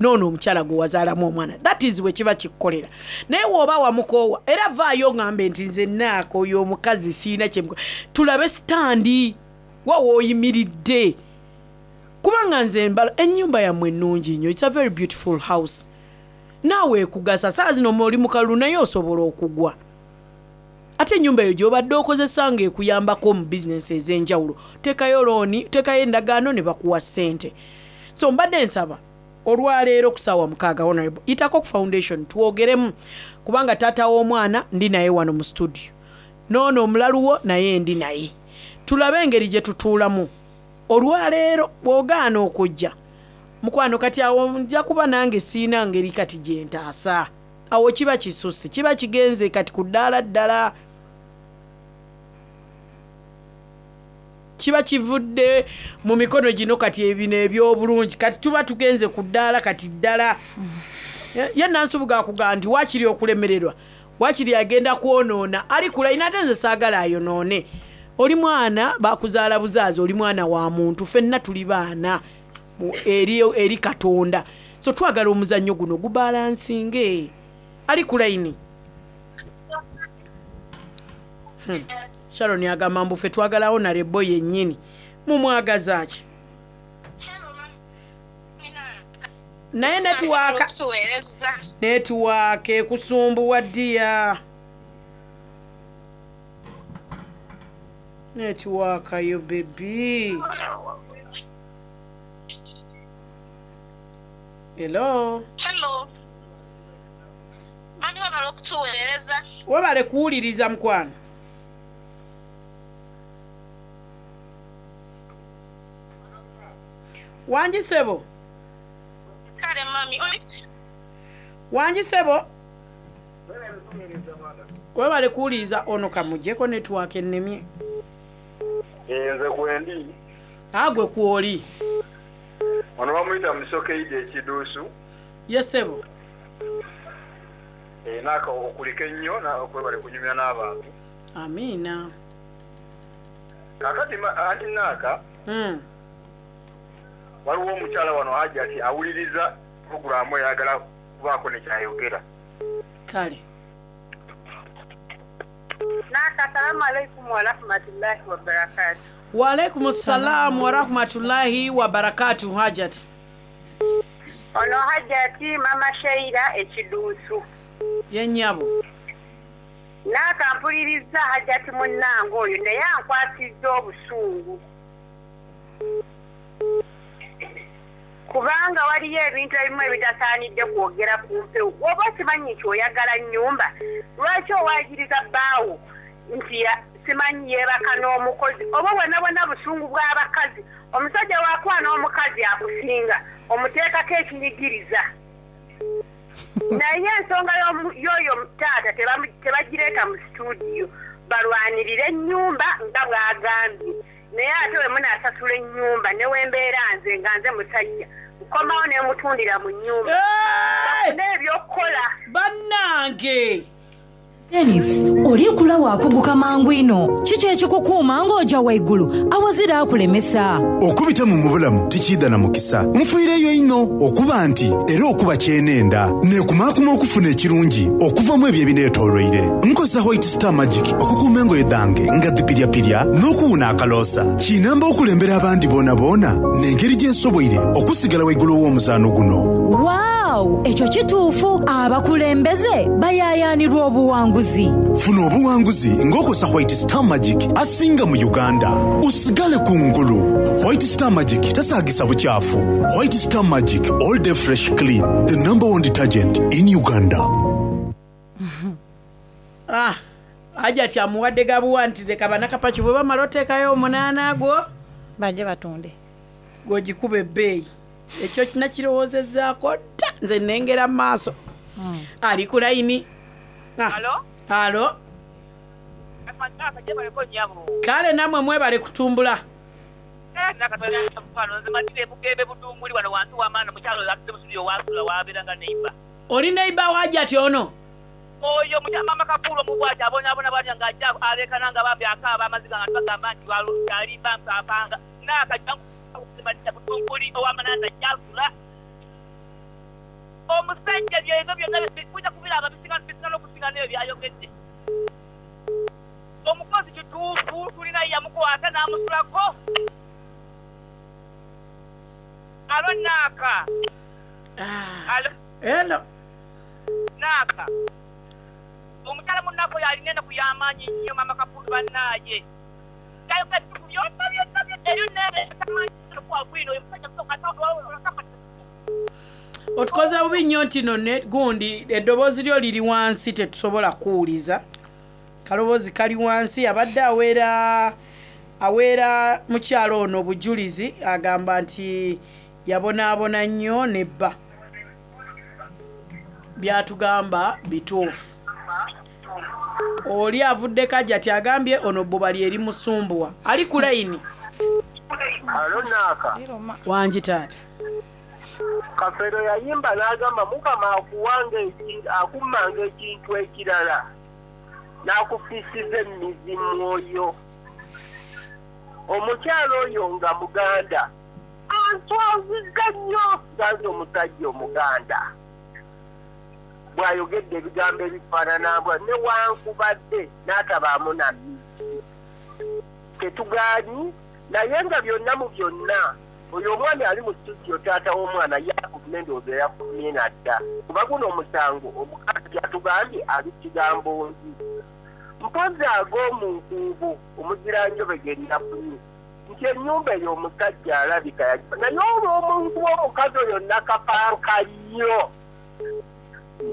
noono omukyala gwe wazaalamu omwana. That is bwe kiba kikukolera. Naye woba wamukoowa, era vaayo ŋŋambe nti nze naaka oyo omukazi siina kyemuko, tulabe stand wa wooyimiridde, kubanga nze mbala ennyumba yammwe ennungi nnyo. It's a very beautiful house. Naawe ekugasa saa zino oli mukalulu, naye osobola okugwa. Ate ennyumba eyo gy'obadde okozesa ng'ekuyambako mu bizinesi ez'enjawulo, teekayo looni, teekayo endagaano ne bakuwa ssente. So mbadde nsaba olwaleero ku ssaawa mukaaga, honorable, yitako ku foundation twogeremu, kubanga taata w'omwana ndi naye wano mu studio, noono omulaluwo naye ndi naye, tulabe engeri gye tutuulamu olwaleero. Bw'ogaana okujja, mukwano, kati awo nja kuba nange siina ngeri kati gye ntaasa. Awo kiba kisusse, kiba kigenze kati ku ddaala ddala, kiba kivudde mu mikono gino. Kati ebino ebyobulungi, kati tuba tugenze ku ddaala kati ddala. Ye Nansubuga akugamba nti waakiri okulemererwa, waakiri agenda kwonoona ali kulayina, ate nze saagala ayonoone. Oli mwana bakuzaala buzaazi, oli mwana wa muntu, ffenna tuli baana eri, eri Katonda. So twagala omuzannyo guno gubalansinge. Ali ku layini. hmm. Sharon agamba mbu ffe twagala honorable yennyini. Mumwagaza ki? Naye network, network ekusumbuwa ddiya. Netiwaaka yo bebi. Hello. Hello. Mami webale okutuweereza. Webale kuwuliriza mukwano. Wangi ssebo. Kale mami oli Wangi ssebo. Webale kuwuliriza ono kamugyeko netiwaaka ennemye. Nze kwendi. Agwe kwoli. Ono bamuyita musokeidi ekiduusu. Ye ssebo. Eh, naaka okulika ennyo na- okwebale kunyumya n'abantu. Amiina. Kakati ma- anti naaka Mm. waliwo omukyala wano Hajati awuliriza puroguraamu eyagala kubaako ne kyayogera. Kale. Naka, assalamu alaikum warahmatullahi wabarakatu. Waalaikum salamu warahmatullahi wabarakatu Hajat. Ono Hajati mama Sheila ekiduusu. Ye nnyabo. Naka mpuliriza Hajati munnange oyo naye ankwasizza obusungu. Kubanga waliyo ebintu ebimu ebitasaanidde kwogera ku mpewo. Bw'oba okimanyi nti oyagala nnyumba, lwaki owaagiriza bbaawo nti ya- simanyi yeebaka n'omukozi oba bwonna bwonna busungu bw'abakazi omusajja wakuba n'omukazi akusinga omuteekako ekinyigiriza naye ensonga y'omu- y'oyo taata tebamu- tebagireeta mu situdiyo balwanirire ennyumba nga bw'agambye naye ate we munaasasula ennyumba ne wembeera nze nga nze musajja nkomawo ne mutundira mu nnyumba bafune ebyokukola Bannange. Denis, oli kula waakuguka mangu ino kiki ekikukuuma ng'ojja waggulu awazira akulemesa Okubita mu mubulamu tikiida na mukisa nfiireyo ino okuba nti era okuba kyenenda neekumaakuma okufuna ekirungi okuvamu ebyo ebineetoolweire nkozesa White Star Magic okukuuma engoye dhange nga dhipiryapirya n'okuwuna akaloosa kinamba okulembera abandi boona boona n'engeri gye nsoboire okusigala waggulu w'omuzaano guno waawu ekyo kituufu abakulembeze bayaayaanirwa obuwanguzi funa obuwanguzi ng'okozesa White Star Magic asinga mu Uganda osigale ku ngulu White Star Magic tasaagisa bukyafu White Star Magic all day fresh clean the number one detergent in Uganda. Ah, Hajati amuwadde gabuwa nti leka bannakapaki bwe bamala oteekayo omunaana gwo bajje batunde gw'ogikuba ebbeeyi ekyo nakirowoozezzaako dda nze nnengera mu maaso ali ku layini. Ah. Alo? Alo. Naka gyebaleko nnyabo. Kale nammwe mwebale kutumbula. Eh, Naka tolina mukwano nze matire bugembe budunguli wano wansi w'amaana mukyalo oyo atudde mu studio waasula waabeera nga neighbor. Oli neighbor wa Hajati ono? Oyo mukyala mama Kapuulo omubwati abonaabona bw'atyo ng'ajja aleekana nga bambi akaaba amaziga nga tubagamba nti walu- alimba mpaapanga. Naka jangu matira budunguli ow'amanaana gyasula. Omusajja byebyo byonna mujja kubiraba bisinga bisinga n'okusinga n'ebyo by'ayogedde. Omukozi kituufu tulina yamukwata n'amusulako. Alo Naaka. Alo Hello. Naaka. Omukyala munnako yalina ennaku y'amaanyi nnyo mama Kapuulu bannaaye. Yayogera ebituufu byonna byonna byonna eryo neetamanyi bwino oyo musajja Otukoze bubi nnyo nti no ne gundi eddoboozi lyo liri wansi tetusobola kuwuliza. Kaloboozi kali wansi abadde aweera aweera mukyalo ono obujulizi agamba nti yabonaabona nnyo ne bba. Byatugamba bituufu. Oli avuddeko Hajati agambye ono bbuba lye limusumbuwa. Ali ku layini. Alo Naaka. Wangi taata. Kafeero yayimba n'agamba Mukama akuwanga eki- akummanga ekintu ekirala n'akufiisiza emmizi mwoyo. Omukyala oyo nga Muganda answazizza nnyo ganze omusajja Omuganda bw'ayogedde ebigambo ebifaanana mbwa newankubadde n'atabaamu na mmizi tetugaanyi naye nga byonna mu byonna oyo omwami ali mu studio taata w'omwana yakuvuma endowooza yakumye nadda kuba guno omusango omukazi yatugambye ali kigambo nzi Mpozi ag'omu nkuubo omuziranjobe ge nafunye nti ennyumba eyo omusajja alabika yagiba naye olw'omuntu w'omukazi oyo nakapanka nnyo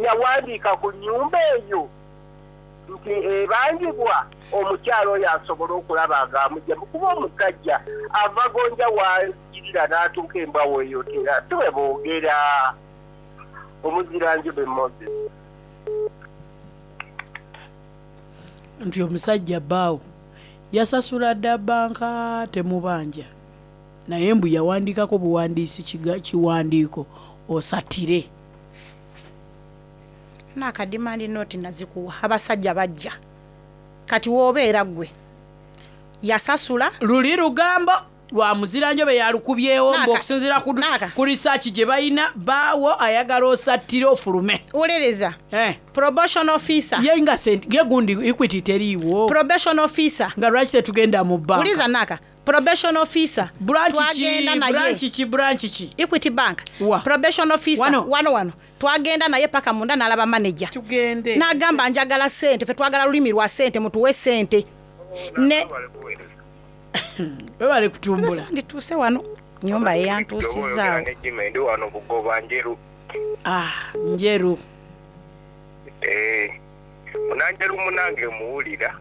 yawandiika ku nnyumba eyo nti ebangibwa omukyalo oyo asobole okulaba ng'amugyamu kuba omusajja ava gonja wagirira n'atuuka embwa weeyotera si bwe boogera. Omuziranjobe Moses. Nti omusajja bbaawo yasasula dda banka temubanja, naye mbu yawandiikako buwandiisi kiwandiiko osatire. Naakadimandi nooti nazikuwa, abasajja bajja kati woobeera ggwe yasasula. Luli lugambo lwa muziranjobe yalukubyewo mbu okusinziira ku research gye balina baawo ayagala osattire ofulume. Wolereza eh. Probation officer ye nga sente ye gundi Equity teriiwo. Probation officer nga lwaki tetugenda mu banka? Uliza naka probation officer branch ki branch ki branch ki Equity Bank. Wa. Probation officer wano wano, wano. Twagenda naye paka munda n'alaba manager. Tugende n'agamba njagala sente, ffe twagala lulimi lwa sente, mutuwe sente ne webale kutumbula. Ndituuse wano nyumba eyantuusizaawo. Ndi wano Bugoba Njeru. Ah, Njeru. Eh, munanjeru munange muwulira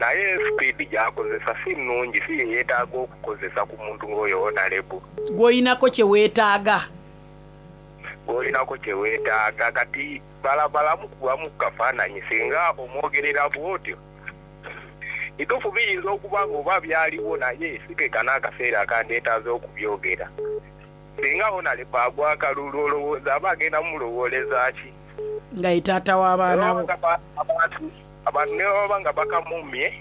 naye speed gy'akozesa si nnungi, si ye yeetaaga okukozesa ku muntu ng'oyo honorable. Gw'oyinako kye weetaaga. Gw'olinako kye weetaaga kati balabalamu kubamu kafaananyi singa omwogerera bw'otyo. Bituufu biyinza okuba nga oba byaliwo naye si ke kano akaseera akandeetaaza okubyogera. Singa honorable agwa akalulu olowooza aba agenda mulowooleza ki? Nga ye taata w'abaana bo. Abantu ne baba nga bakamumye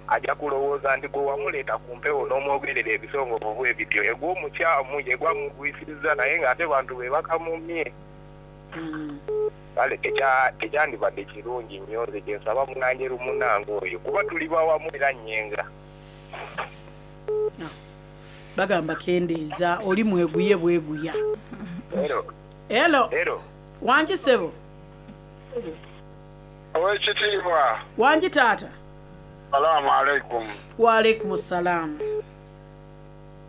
ajja kulowooza nti gwe wamuleeta ku mpewo n'omwogerera ebisongovu bwe bityo, yegwe omukyamu, yegwe amugwisiriza naye ng'ate bantu be bakamumye. Kale tekyandibadde kirungi nnyo nze kye nsaba munanjeru munnange oyo kuba tuli bawamu era nnyenga. Bagamba kendeeza oli mweguye bweguya. Hello. Hello. Hello. Wangi ssebo. Owekitiibwa. Wangi taata. Salaamu alaikum. Wa alaikum salaamu.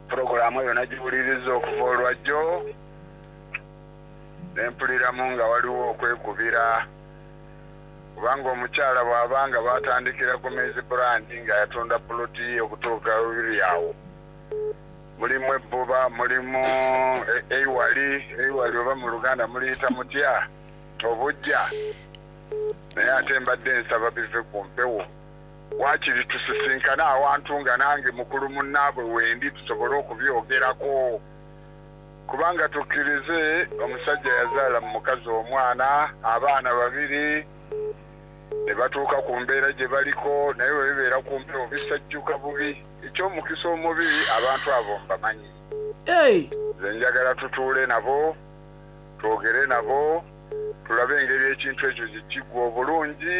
Pulogulaamu eyo nagiwuliriza okuva olwajjo nempuliramu nga waliwo okwekubira kubanga omukyala bw'abanga batandikira ku Maize Brand nga yatunda puloti okutuuka bibiri awo mulimu ebbuba, mulimu eiwali, eiwali oba mu Luganda muliyita mutya obujja, naye ate mbadde nsaba bive ku mpewo waakiri tusisinkane awantu nga nange mukulu munnaabwe wendi tusobole okubyogerako kubanga tukkirize omusajja yazaala mu mukazi omwana abaana babiri ne batuuka ku mbeera gye baliko naye bwe bibeera ku mpewo bisajjuka bubi. Eky'omukisa omubi abantu abo mbamanyi. Nze njagala tutuule nabo twogere nabo tulabe engeri ekintu ekyo gye kiggwa obulungi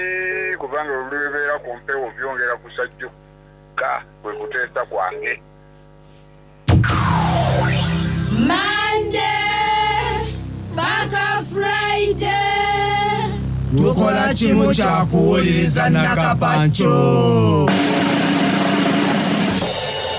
kubanga bwe bibeera ku mpewo byongera kusajjuka kwe kuteesa kwange. Monday paka Friday tukola kimu kya kuwuliriza Nakapancho.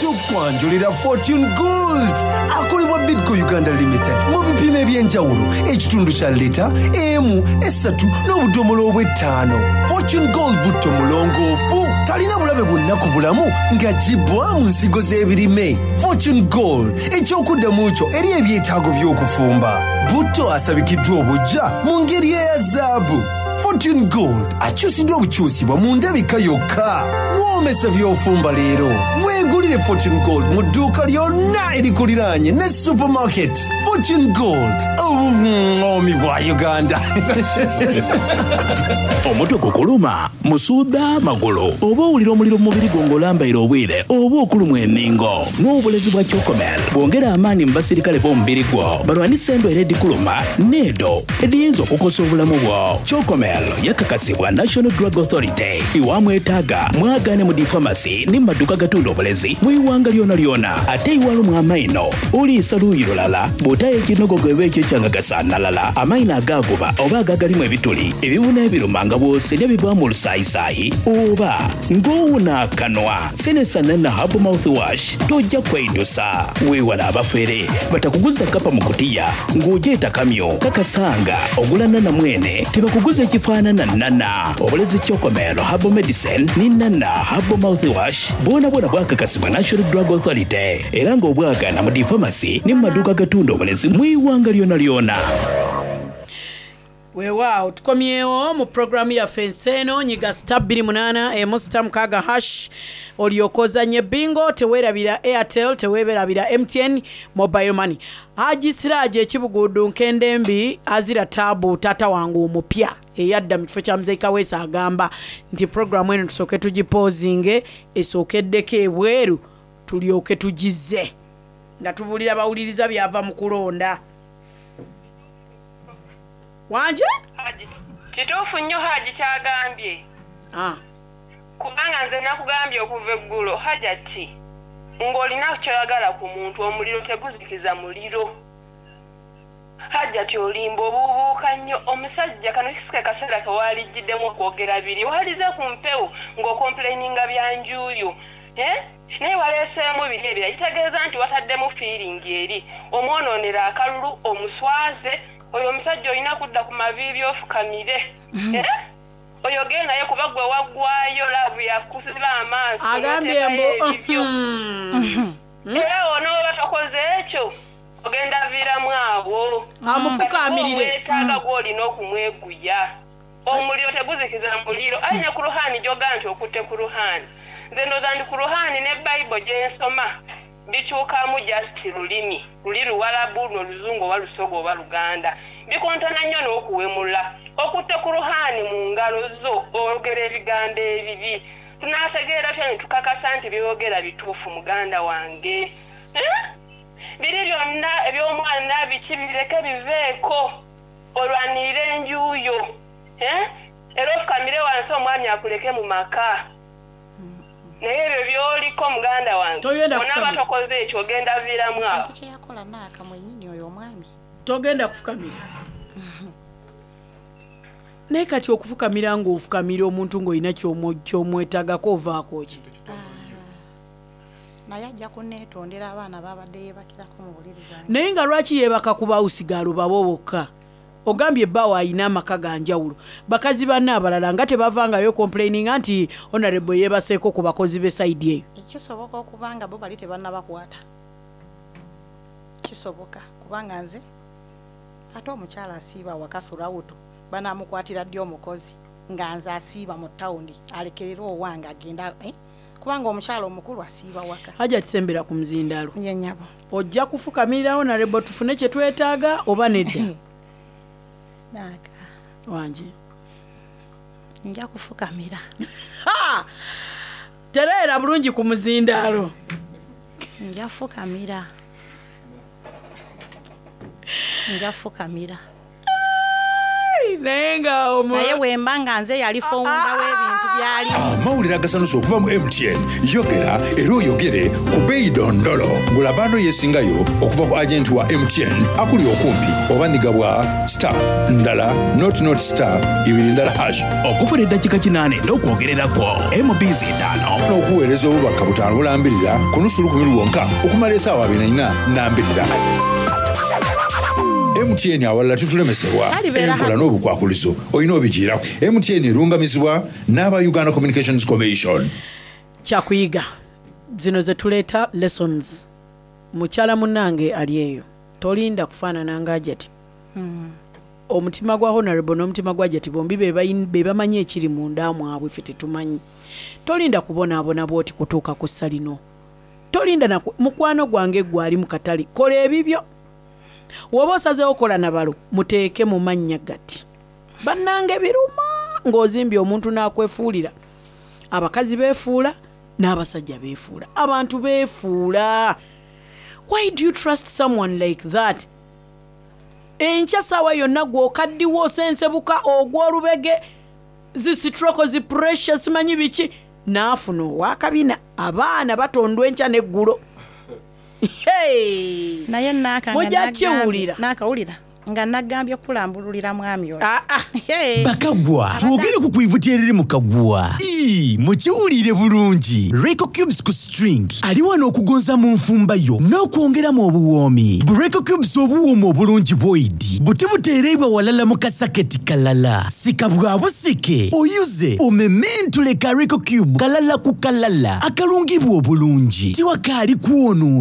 Tukwanjulira Fortune Gold akolebwa Bidco Uganda Limited mu bipimo eby'enjawulo ekitundu kya lita emu esatu n'obudomola obw'ettaano. Fortune Gold butto mulongoofu talina bulabe bwonna ku bulamu ng'aggyibwa mu nsigo z'ebirime. Fortune Gold ekyokuddamu kyo eri ebyetaago by'okufumba. Butto asabikiddwa obujja mu ngeri eya zaabu. Fortune Gold akyusiddwa obukyusibwa mu ndabika yokka. Woomesa by'ofumba leero. Weegulire Fortune Gold mu dduuka lyonna erikuliraanye ne supermarket. Fortune Gold, obuŋoomi bwa Uganda. Omutwe gukuluma, musuuda magulu, oba owulira omuliro mu mubiri gwo ng'olambaire obwire oba okulumwa enningo. N'obulezi bwa Chocomel bwongera amaanyi mu basirikale b'omubiri gwo balwanise endwaire edikuluma n'edo ediyinza okukosa obulamu bwo. Chocomel Chocomel yakakasibwa National Drug Authority. Iwamwetaaga mwagaane mu difamasi ne mu maduuka gatunda obulezi mu iwanga lyona lyona. Ate iwalumwa amaino oliisa luuyi lulala bw'otayo ekinogogo eba ekyo ekyangagasaanalala amaino agaaguba oba agagalimu ebituli ebibuna ebiruma nga bw'oserya bivaamu olusaayisaayi oba ng'owuna akanwa senesanana herbal mouthwash tojja kweidusa. Weewala abafere batakuguza kapa mu kutiya ng'ogyeta kamyo kakasanga ogula nana mwene tebakuguza ekifaanana nana. Obulezi Chocomel herbal medicine ne nana herbal mouthwash bwona bwona bwakakasibwa National Drug Authority era ng'obwagana mu difamasi ne mu maduuka agatunda obulezi mu iwanga lyona lyona. Weewaawo tukomyewo mu puroguramu yaffe ensi eno nyiga star bbiri munaana emu star mukaaga hash olyoke ozanye bingo. Teweerabira Airtel, teweerabira M T N mobile money. Haji Siraje ekibugudu nkendembi azira taabu taata wange omupya eyadda mu kifo kya Muzeyi Kaweesa agamba nti puroguramu eno tusooke tugipoozinge esookeddeko ebweru tulyoke tugize nga tubuulira bawuliriza byava mu kulonda wanje. Haji, kituufu nnyo Haji kyagambye. Ah. Kubanga nze nakugambye okuva eggulo, Hajati, ng'olina kyoyagala ku muntu, omuliro teguzikiza muliro. Hajati, olimba obuubuuka nnyo omusajja. Kano kisike kaseera kewalijjiddemu okwogera biri walize ku mpewo ng'ocomplaininga bya njuuyo. Eh? Naye waleeseemu biri ebira kitegeeza nti wataddemu feeling eri omwonoonera akalulu omuswaze oyo omusajja. Olina kudda ku maviivi ofukamire. Eh? Oyogere naye kuba gwe waggwayo love yakusiba amaaso. Agambye mbu n'oteekayo ebibyo. Era onooba tokoze ekyo ogenda viiramu awo. Amufukaamirire. Wetaaga gw'olina okumweguya. Omuliro teguzikiza muliro. Aye ne ku ruhaani gyogaa nti okutte ku ruhaani, nze ndowooza nti ku ruhaani ne Bayibuli gyensoma bikyukamu just lulimi luli Luwalabu noluzungu oba Lusoga oba Luganda bikontana nnyo n'okuwemula. Okutte ku ruhaani mu ngalo zo oyogera ebigambo ebibi, tunaategeera tya ne tukakasa nti byogera bituufu? Muganda wange, Eh? Biri byonna eby'omwana biki bireke biveeko, olwanirire enjuuyo. Eh? Era ofukamire wansi omwami akuleke mu maka. Naye ebyo byoliko muganda wange Togenda onaaba kufukamira. tokoze ekyo ogenda viiramu awo. Kintu kyeyakola naaka mwennyini oyo omwami. Togenda kufukamira. Naye kati okufukamira ng'ofukamira omuntu ng'olina ky'omwo- ky'omwetagako ovaako ki? Naye ajja kuneetondera abaana babadde yeebakirako mu buliri bwange. Naye nga lwaki yeebaka ku bawusigaalo babo bokka? Ogambye ebbaawo ayina amaka ga njawulo, bakazi banne abalala nga tebavangayo complaininga nti honorable yeebaseeko ku bakozi b'e side eyo. Kisoboka okuba nga bo bali tebannabakwata, kisoboka kubanga nze ate omukyala asiiba waka throughout banamukwatira ddi omukozi nga nze asiiba mu tawuni alekerera owange agenda, eh? Kubanga omukyala omukulu asiiba waka. Hajja kisembera ku muzindaalo. Ye nyabo. Ojja kufukamirira honorable tufune kye twetaaga oba nedda? Naaka. Wange. Nja kufukamira. Ha! Tereera bulungi ku muzindaalo. Nja fukamira, nja fukamira. Naye nga omu- Naye bwemba nga nze yali founder w'ebintu byalimu. Amawulire agasanusa okuva mu M T N. Yogera era oyogere ku beeyi dondolo. Gula bundle yeesingayo okuva ku agenti wa M T N akuli okumpi oba nigabwa star ndala nought nought star ibiri ndala hash. Okufuna eddakiika kinaana n'okwogererako M Bs etaano n'okuweereza obubaka butaano bulambirira ku nusu lukumi lwonka okumala esaawa abiri na nnya nambirira. M T N awalala tutulemesebwa. Kalibeera. Enkola n'obukwakulizo olina obigiirako. M T N erungamizibwa n'aba Uganda Communications Commission. Kyakuyiga zino zetuleeta lessons. Mukyala munnange ali eyo, tolinda kufaanana nga Hajati. Omutima gwa honorable n'omutima gwa Hajati bombi be bayin- be bamanyi ekiri munda mwabwe, ffe tetumanyi. Tolinda kubonaabona bwoti kutuuka ku ssa lino. Tolinda naku mukwano gwange gwali mu katale. Kola ebibyo. Woba osazeewo kola nabalo muteeke mu mannya gati. Bannange biruma ng'ozimbye omuntu n'akwefuulira. Abakazi beefuula n'abasajja beefuula, abantu beefuula. Why do you trust someone like that? Enkya saawa yonna gw'okaddiwa, osensebuka, ogw'olubege, zi stroke, zi pressure, simanyi biki, n'afuna owakabina. Abaana batondwa enkya n'eggulo. Hey! Naye naaka nga Mujja nagambye- kiwulira. Naakawulira nga nagambye okulambululira mwami oyo. Ah, Bakagwa, twogere ku kwivuti eriri mu kagwa. Ii, mukiwulire bulungi. Reco Cubes ku string ali wano okugonza mu nfumba yo n'okwongeramu obuwoomi. Bu Reco Cubes obuwooma obulungi bwoidi buti buteereibwa walala mu kasaketi kalala, sika bwa busike, oyuze omementule ka Reco Cube kalala ku kalala akalungibwa obulungi, tiwakaali kwonoona.